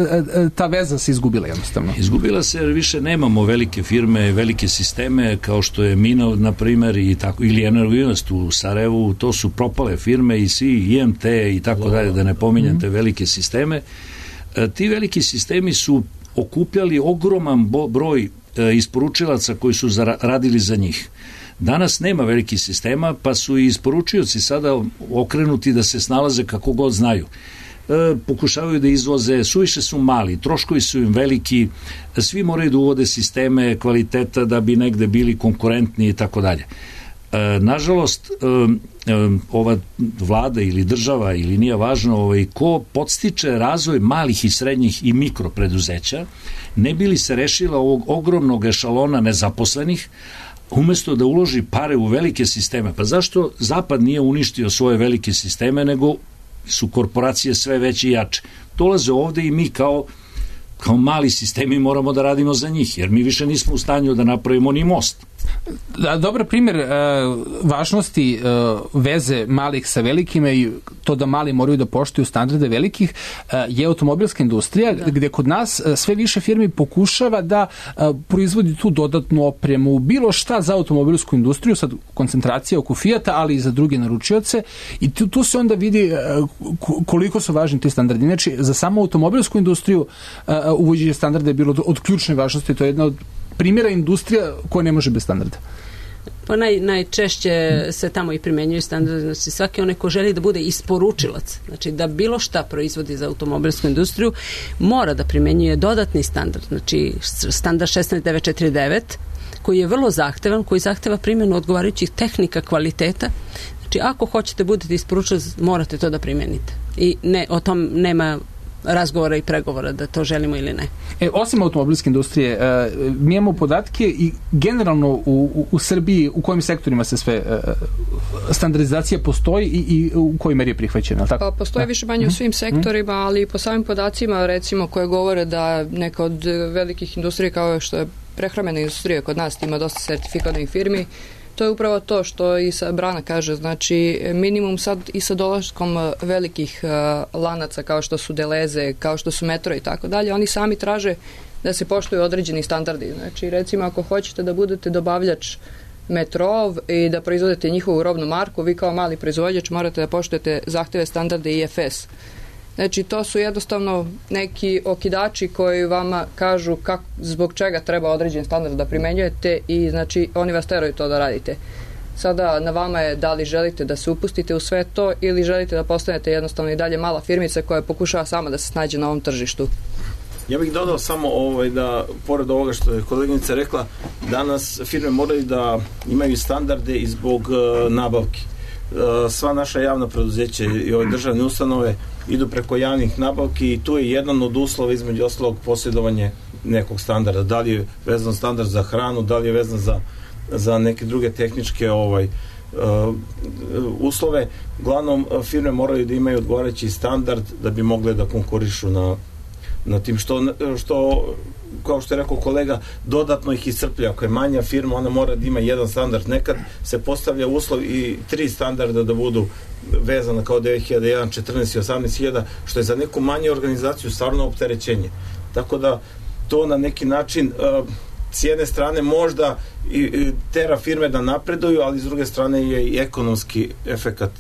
ta veza se izgubila jednostavno. Izgubila se jer više nemamo velike firme, velike sisteme kao što je Mino, na primer, i tako, ili Energoinvest u Sarajevu, to su propale firme i svi I M T i tako dalje, da ne pominjate mm-hmm. velike sisteme. E, ti veliki sistemi su okupljali ogroman broj e, isporučilaca koji su zara, radili za njih. Danas nema velikih sistema, pa su i isporučioci sada okrenuti da se snalaze kako god znaju. E, pokušavaju da izvoze, suviše su mali, troškovi su im veliki, svi moraju da uvode sisteme kvaliteta da bi negde bili konkurentni i tako dalje. Nažalost, ova vlada ili država ili nije važno ovaj, ko podstiče razvoj malih i srednjih i mikropreduzeća, ne bi li se rešila ovog ogromnog ešalona nezaposlenih, umesto da uloži pare u velike sisteme. Pa zašto Zapad nije uništio svoje velike sisteme, nego su korporacije sve veće i jače? Dolaze ovde i mi kao kao mali sistemi moramo da radimo za njih, jer mi više nismo u stanju da napravimo ni most. Da, dobar primjer uh, važnosti uh, veze malih sa velikima i to da mali moraju da poštuju standarde velikih uh, je automobilska industrija, da. Gde kod nas uh, sve više firmi pokušava da uh, proizvodi tu dodatnu opremu, bilo šta za automobilsku industriju, sad koncentracija oko Fijata, ali i za druge naručioce, i tu, tu se onda vidi uh, koliko su važni ti standardi. Znači, za samo automobilsku industriju uh, uvođenje standarda je bilo od, od ključne važnosti, to je jedna od primjera industrija koja ne može bez standarda. Pa naj, najčešće se tamo i primenjuju standardi, znači svaki onaj ko želi da bude isporučilac, znači da bilo šta proizvodi za automobilsku industriju, mora da primenjuje dodatni standard, znači standard šesnaest devet četrdeset devet, koji je vrlo zahtevan, koji zahteva primjenu odgovarajućih tehnika kvaliteta. Znači, ako hoćete budete isporučili, morate to da primenite. I ne, o tom nema razgovora i pregovora da to želimo ili ne. E, osim automobilske industrije, e, mi imamo podatke i generalno u, u, u Srbiji u kojim sektorima se sve e, standardizacija postoji i, i u kojoj meri je prihvaćena, tako? Pa postoji više manje u svim sektorima, ali po samim podacima, recimo, koje govore da neka od velikih industrija kao što je prehrambena industrija kod nas ima dosta sertifikovanih firmi, to je upravo to što i sa Brana kaže, znači minimum sad i sa dolaskom velikih uh, lanaca kao što su Deleze, kao što su Metro i tako dalje, oni sami traže da se poštuju određeni standardi. Znači recimo ako hoćete da budete dobavljač Metrov i da proizvodite njihovu robnu marku, vi kao mali proizvođač morate da poštujete zahteve standarde I F S. Znači, to su jednostavno neki okidači koji vama kažu kak, zbog čega treba određen standard da primenjujete i znači oni vas teraju to da radite. Sada na vama je da li želite da se upustite u sve to ili želite da postanete jednostavno i dalje mala firmica koja pokušava sama da se snađe na ovom tržištu. Ja bih dodao samo ovaj, da, pored ovoga što je koleginica rekla, danas firme moraju da imaju standarde i zbog uh, nabavki. Uh, sva naša javna preduzeća i ove državne ustanove idu preko javnih nabavki i tu je jedan od uslova između ostalog posjedovanje nekog standarda. Da li je vezan standard za hranu, da li je vezan za, za neke druge tehničke ovaj, uh, uslove. Uglavnom, firme moraju da imaju odgovarajući standard da bi mogle da konkurišu na, na tim što, što kao što je rekao kolega, dodatno ih iscrplja. Ako je manja firma, ona mora da ima jedan standard. Nekad se postavlja uslov i tri standarda da budu vezana kao devet hiljada jedan, četrnaest i osamnaest hiljada, što je za neku manju organizaciju stvarno opterećenje. Tako da to na neki način s jedne strane možda i tera firme da napreduju, ali s druge strane je i ekonomski efekat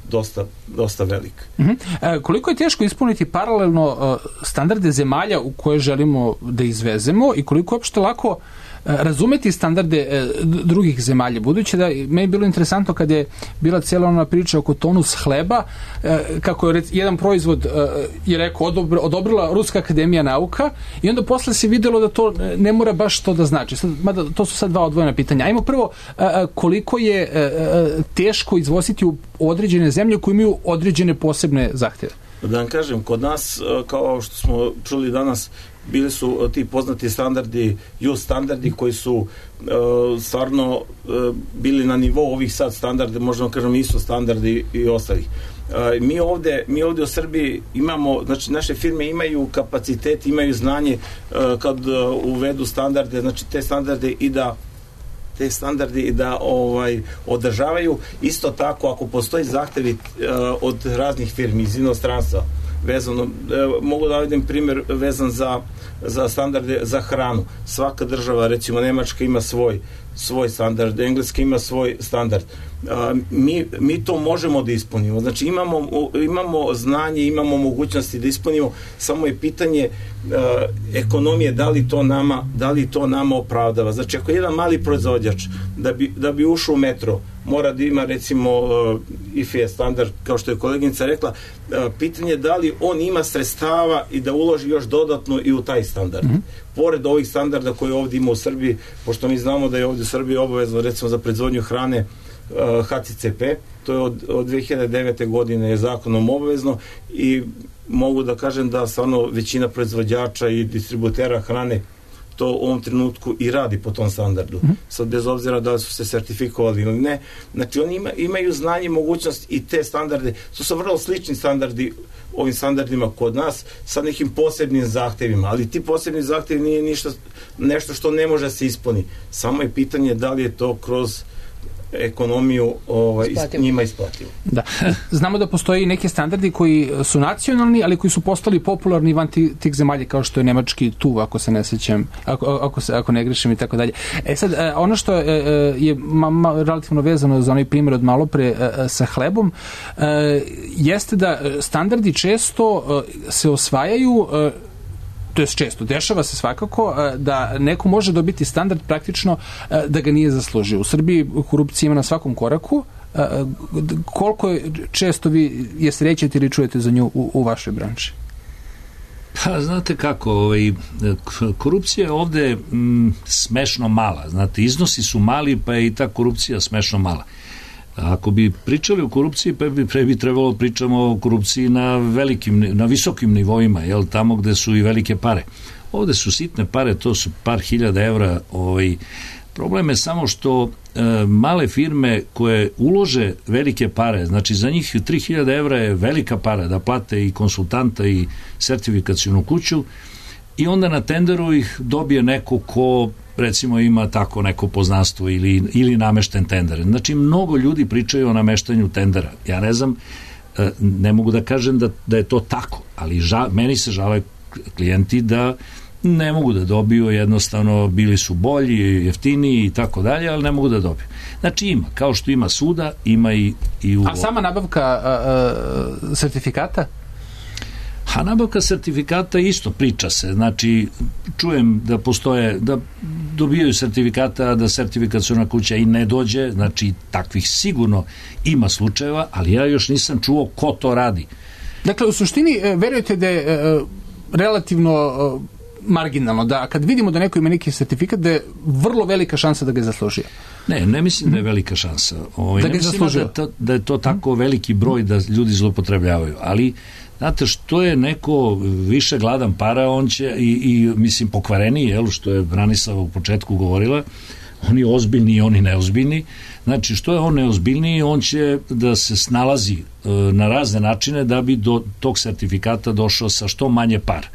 dosta, dosta velik. Uh-huh. E, koliko je teško ispuniti paralelno uh, standarde zemalja u koje želimo da izvezemo i koliko je uopšte lako uh, razumeti standarde uh, drugih zemalja, budući da me je bilo interesantno kad je bila cijela ona priča oko tonus hleba, uh, kako je rec, jedan proizvod uh, je rekao odobr, odobrila Ruska akademija nauka i onda posle se videlo da to ne mora baš to da znači. Sad, mada, to su sad dva odvojena pitanja. Ajmo prvo, uh, koliko je uh, teško izvoziti u određene zemlje koje imaju određene posebne zahtjeve? Da vam kažem, kod nas, kao što smo čuli danas, bili su ti poznati standardi, ju standardi koji su uh, stvarno uh, bili na nivou ovih sad standarda, možemo kažem isto standardi i ostalih. Uh, mi ovde, mi ovde u Srbiji imamo, znači naše firme imaju kapacitet, imaju znanje uh, kad uh, uvedu standarde, znači te standarde i da te standardi i da ovaj održavaju. Isto tako, ako postoji zahtevi uh, od raznih firmi iz inostranstva vezano, uh, mogu da navedem primjer vezan za, za standarde za hranu. Svaka država, recimo Nemačka ima svoj svoj standard, Engleska ima svoj standard. Uh, mi, mi to možemo da ispunimo. Znači imamo, imamo znanje, imamo mogućnosti da ispunimo, samo je pitanje uh, ekonomije, da li to nama, da li to nama opravdava. Znači ako jedan mali proizvođač da bi, da bi ušao u Metro, mora da ima recimo uh, I F S standard, kao što je koleginica rekla, uh, pitanje je da li on ima sredstava i da uloži još dodatno i u taj standard. Mm-hmm. Pored ovih standarda koje ovdje ima u Srbiji, pošto mi znamo da je ovdje u Srbiji obavezno recimo za proizvodnju hrane uh, H C C P, to je od, od dve hiljade devete godine je zakonom obavezno i mogu da kažem da stvarno većina proizvođača i distributera hrane to u ovom trenutku i radi po tom standardu. Mm-hmm. Sad bez obzira da li su se sertifikovali ili ne. Znači oni ima, imaju znanje i mogućnost i te standarde. To su vrlo slični standardi ovim standardima kod nas sa nekim posebnim zahtevima, ali ti posebni zahtevi nije ništa, nešto što ne može se ispuni. Samo je pitanje da li je to kroz ekonomiju ovaj, njima isplativo. Da. Znamo da postoji neki standardi koji su nacionalni, ali koji su postali popularni van tih zemalja, kao što je nemački tu, ako se ne sećam, ako, ako, se, ako ne grešim i tako dalje. E sad, ono što je, je ma, ma, relativno vezano za onaj primjer od malo pre sa hlebom, jeste da standardi često se osvajaju, to je često, dešava se svakako da neko može dobiti standard praktično da ga nije zaslužio. U Srbiji korupcija ima na svakom koraku. Koliko je često vi je srećete ili čujete za nju u, u vašoj branši? Pa, znate kako, ovaj, korupcija je ovde mm, smešno mala. Znate, iznosi su mali, pa je i ta korupcija smešno mala. Ako bi pričali o korupciji, pre bi, pre bi trebalo pričamo o korupciji na velikim, na visokim nivoima, jel, tamo gde su i velike pare. Ovde su sitne pare, to su par hiljada evra. Ovaj, problem je samo što e, male firme koje ulože velike pare, znači za njih tri hiljade evra je velika para da plate i konsultanta i sertifikacionu kuću, i onda na tenderu ih dobije neko ko recimo ima tako neko poznanstvo ili, ili namešten tender. Znači mnogo ljudi pričaju o nameštanju tendera. Ja ne znam, ne mogu da kažem da, da je to tako, ali ža, meni se žale klijenti da ne mogu da dobiju, jednostavno bili su bolji, jeftiniji i tako dalje, ali ne mogu da dobiju. Znači ima, kao što ima suda, ima i, i u... A sama nabavka a, a, sertifikata? A nabavka sertifikata isto priča se, znači čujem da postoje, da dobijaju sertifikata, da sertifikaciona kuća i ne dođe, znači takvih sigurno ima slučajeva, ali ja još nisam čuo ko to radi. Dakle, u suštini, verujete da je e, relativno e, marginalno, da kad vidimo da neko ima neki sertifikat, da je vrlo velika šansa da ga je zaslužio? Ne, ne mislim da je velika šansa. Ovaj, da ne mislim da je, to, da je to tako veliki broj da ljudi zloupotrebljavaju, ali znate, što je neko više gladan para, on će i, i mislim pokvareniji, jel, što je Branislava u početku govorila, oni ozbiljni i oni neozbiljni. Znači, što je on neozbiljniji, on će da se snalazi e, na razne načine da bi do tog sertifikata došao sa što manje par.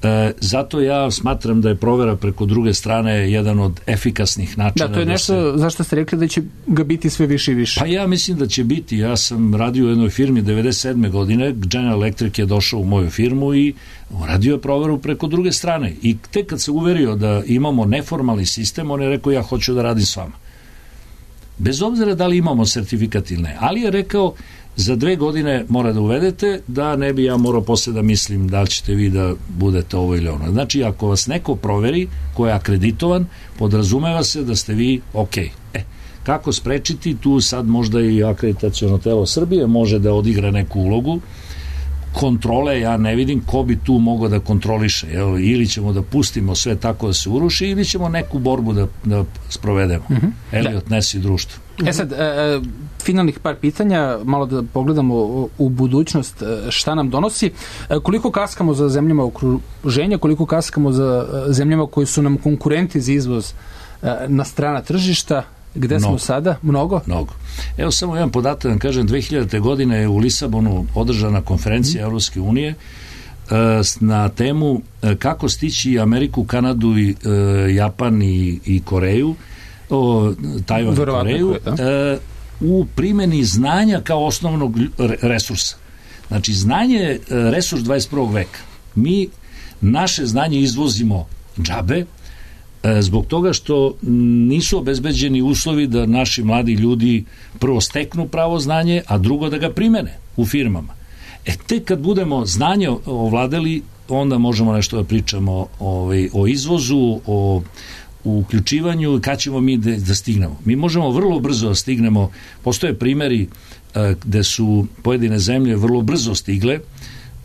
E, zato ja smatram da je provera preko druge strane jedan od efikasnih načina. Da, to je nešto, da se... zašto ste rekli da će ga biti sve više i više? Pa ja mislim da će biti. Ja sam radio u jednoj firmi devedeset sedme godine, General Electric je došao u moju firmu i radio je proveru preko druge strane. I tek kad se uverio da imamo neformalni sistem, on je rekao ja hoću da radim s vama. Bez obzira da li imamo sertifikat ili ne. Ali je rekao za dve godine mora da uvedete, da ne bi ja morao posle da mislim da li ćete vi da budete ovo ili ono. Znači, ako vas neko proveri ko je akreditovan, podrazumeva se da ste vi ok. E, kako sprečiti? Tu sad možda i akreditaciono telo Srbije može da odigra neku ulogu. Kontrole, ja ne vidim ko bi tu mogao da kontroliše. Evo, ili ćemo da pustimo sve tako da se uruši, ili ćemo neku borbu da, da sprovedemo. Mm-hmm. Eliot Ness i društvo. E sad, e, finalnih par pitanja, malo da pogledamo u budućnost šta nam donosi. E, koliko kaskamo za zemljama okruženja, koliko kaskamo za zemljama koji su nam konkurenti za izvoz e, na strana tržišta, gde Mnogo. smo sada? Mnogo? Mnogo. Evo samo jedan podatak, da vam kažem, dve hiljadite. godine je u Lisabonu održana konferencija mm. Evropske unije e, na temu e, kako stići Ameriku, Kanadu, i, e, Japan i, i Koreju, o, Tajvan i Koreju, e, u primjeni znanja kao osnovnog resursa. Znači, znanje je resurs dvadeset prvog veka. Mi naše znanje izvozimo džabe, zbog toga što nisu obezbeđeni uslovi da naši mladi ljudi prvo steknu pravo znanje, a drugo da ga primene u firmama. E, tek kad budemo znanje ovladali, onda možemo nešto da pričamo o, o izvozu, o uključivanju i kad ćemo mi da, da stignemo. Mi možemo vrlo brzo da stignemo. Postoje primjeri a, gde su pojedine zemlje vrlo brzo stigle,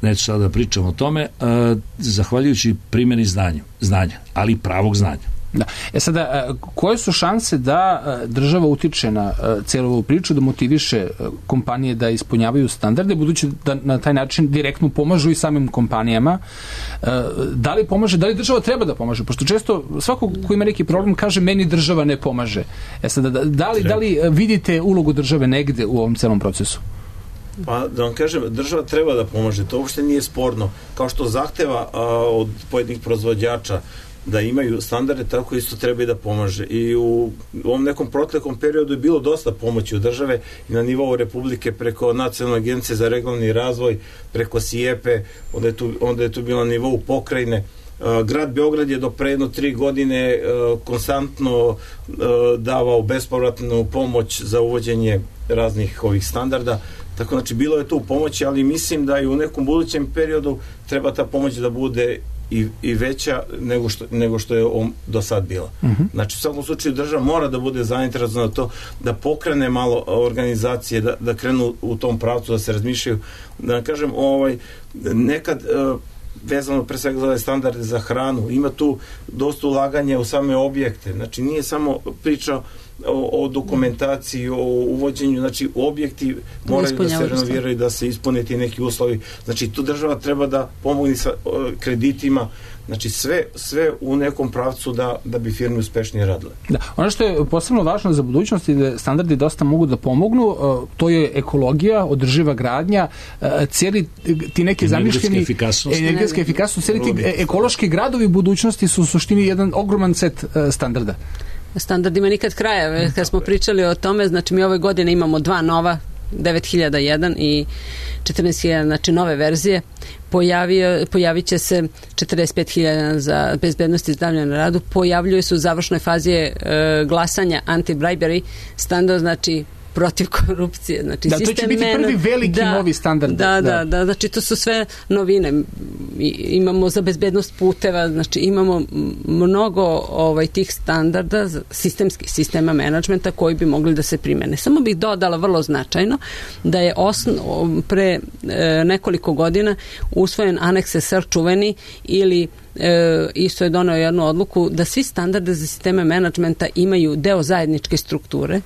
neću sada da pričam o tome, a, zahvaljujući primjeni znanja, znanja, ali pravog znanja. Da. E sada, koje su šanse da država utiče na celu ovu priču, da motiviše kompanije da ispunjavaju standarde, budući da na taj način direktno pomažu i samim kompanijama? Da li pomaže, da li država treba da pomaže? Pošto često svako ko ima neki problem kaže meni država ne pomaže. E sada, da li, da li vidite ulogu države negde u ovom celom procesu? Pa da vam kažem, država treba da pomaže, to uopšte nije sporno. Kao što zahteva a, od pojedinih proizvođača da imaju standarde, tako isto treba i da pomaže. I u ovom nekom protlekom periodu je bilo dosta pomoći od države i na nivou Republike preko Nacionalne agencije za regionalni razvoj, preko SIEPE, onda je tu, onda je tu bilo na nivou pokrajine. Grad Beograd je do pre jedno tri godine konstantno davao bespovratnu pomoć za uvođenje raznih ovih standarda. Tako, znači, bilo je tu pomoći, ali mislim da i u nekom budućem periodu treba ta pomoć da bude i, i veća nego što, nego što je on do sad bila. Uh-huh. Znači, u svakom slučaju država mora da bude zainteresovana to, da pokrene malo organizacije, da, da krenu u tom pravcu, da se razmišljaju. Da kažem, ovaj, nekad uh, vezano pre svega za ove standarde za hranu, ima tu dosta ulaganja u same objekte. Znači, nije samo priča o, o dokumentaciji, o uvođenju, znači objekti moraju da se renoviraju, da se ispune ti neki uslovi. Znači tu država treba da pomogne sa o, kreditima, znači sve, sve u nekom pravcu da, da bi firme uspešnije radile. Da. Ono što je posebno važno za budućnost i da standardi dosta mogu da pomognu, to je ekologija, održiva gradnja, cijeli ti neki zamišljeni efikasnost. energetska efikasnost, cijeli ti ekološki gradovi budućnosti su u suštini jedan ogroman set standarda. Standardima nikad kraja. Kad smo pričali o tome, znači mi ove godine imamo dva nova, devet hiljada jedan i četrnaest hiljada, znači nove verzije. Pojavio, pojavit će se četrdeset pet hiljada za bezbednost i zdravlje na radu. Pojavljuje se u završnoj fazi e, glasanja anti-bribery standard, znači protiv korupcije. Znači, da, to će biti prvi veliki da, novi standard. Da, da, da, da, znači to su sve novine. I, imamo za bezbednost puteva, znači imamo mnogo ovaj, tih standarda, sistemskih sistema menadžmenta koji bi mogli da se primene. Samo bih dodala vrlo značajno da je osno, pre e, nekoliko godina usvojen aneks S R čuveni ili E, isto je doneo jednu odluku da svi standarde za sisteme menadžmenta imaju deo zajedničke strukture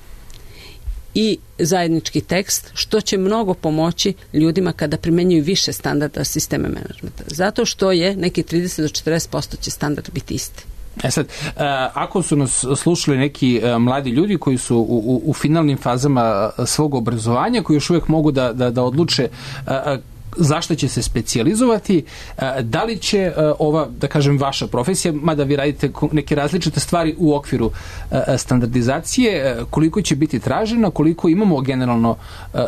i zajednički tekst, što će mnogo pomoći ljudima kada primenjuju više standarda sisteme menadžmenta. Zato što je neki trideset do četrdeset posto će standard biti isti. E sad, ako su nas slušali neki mladi ljudi koji su u, u, u finalnim fazama svog obrazovanja, koji još uvijek mogu da, da, da odluče zašto će se specijalizovati, da li će ova, da kažem, vaša profesija, mada vi radite neke različite stvari u okviru standardizacije, koliko će biti tražena, koliko imamo generalno,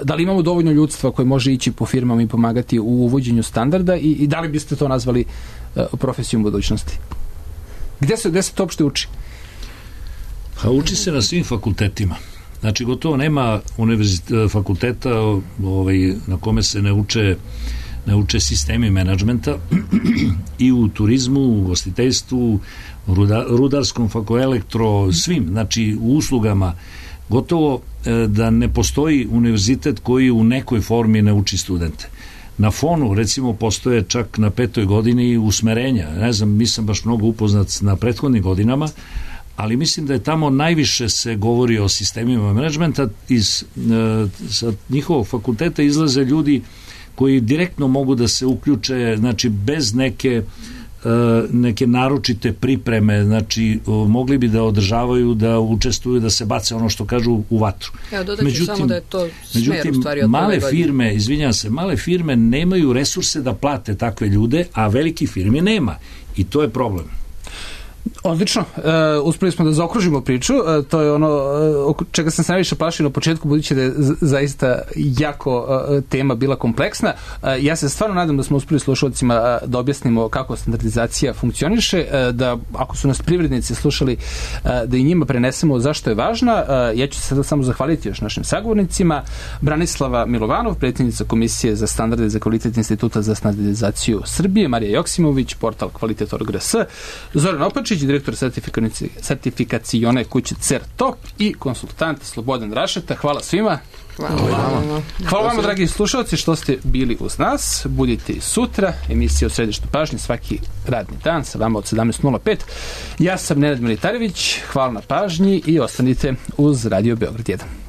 da li imamo dovoljno ljudstva koje može ići po firmama i pomagati u uvođenju standarda i, i da li biste to nazvali profesijom budućnosti? Gde se, gde se to uopšte uči? Pa uči se na svim fakultetima. Znači, gotovo nema fakulteta ovaj, na kome se ne uče, ne uče sistemi menadžmenta i u turizmu, u gostiteljstvu, ruda, rudarskom, fakoelektro, svim, znači u uslugama. Gotovo da ne postoji univerzitet koji u nekoj formi ne uči studente. Na fonu, recimo, postoje čak na petoj godini usmerenja. Ne znam, nisam baš mnogo upoznat na prethodnim godinama, ali mislim da je tamo najviše se govori o sistemima menadžmenta. Iz e, sa njihovog fakulteta izlaze ljudi koji direktno mogu da se uključe, znači bez neke e, neke naročite pripreme, znači o, mogli bi da održavaju, da učestvuju, da se bace ono što kažu u vatru. Evo, dodat ću samo da je to smer u stvari od male firme, izvinjam se, male firme nemaju resurse da plate takve ljude, a veliki firmi nema. I to je problem. Odlično. Uh, uspeli smo da zaokružimo priču. Uh, to je ono uh, čega sam se najviše plašio na početku, budući da je z- zaista jako uh, tema bila kompleksna. Uh, ja se stvarno nadam da smo uspeli slušalcima uh, da objasnimo kako standardizacija funkcioniše, uh, da ako su nas privrednici slušali, uh, da i njima prenesemo zašto je važna. Uh, ja ću se sada samo zahvaliti još našim sagovornicima. Branislava Milovanov, predsjednica Komisije za standarde za kvalitet Instituta za standardizaciju Srbije, Marija Joksimović, portal Kvalitet точка org точка rs, Zoran Opačić, direktor sertifikacione kuće CERTOP i konsultant Slobodan Rašeta. Hvala svima. Hvala, Hvala. Hvala vama, dragi slušalci, što ste bili uz nas. Budite i sutra. Emisija u središtu pažnje svaki radni dan sa vama od sedamnaest nula pet. Ja sam Nenad Militarević. Hvala na pažnji i ostanite uz Radio Beograd jedan.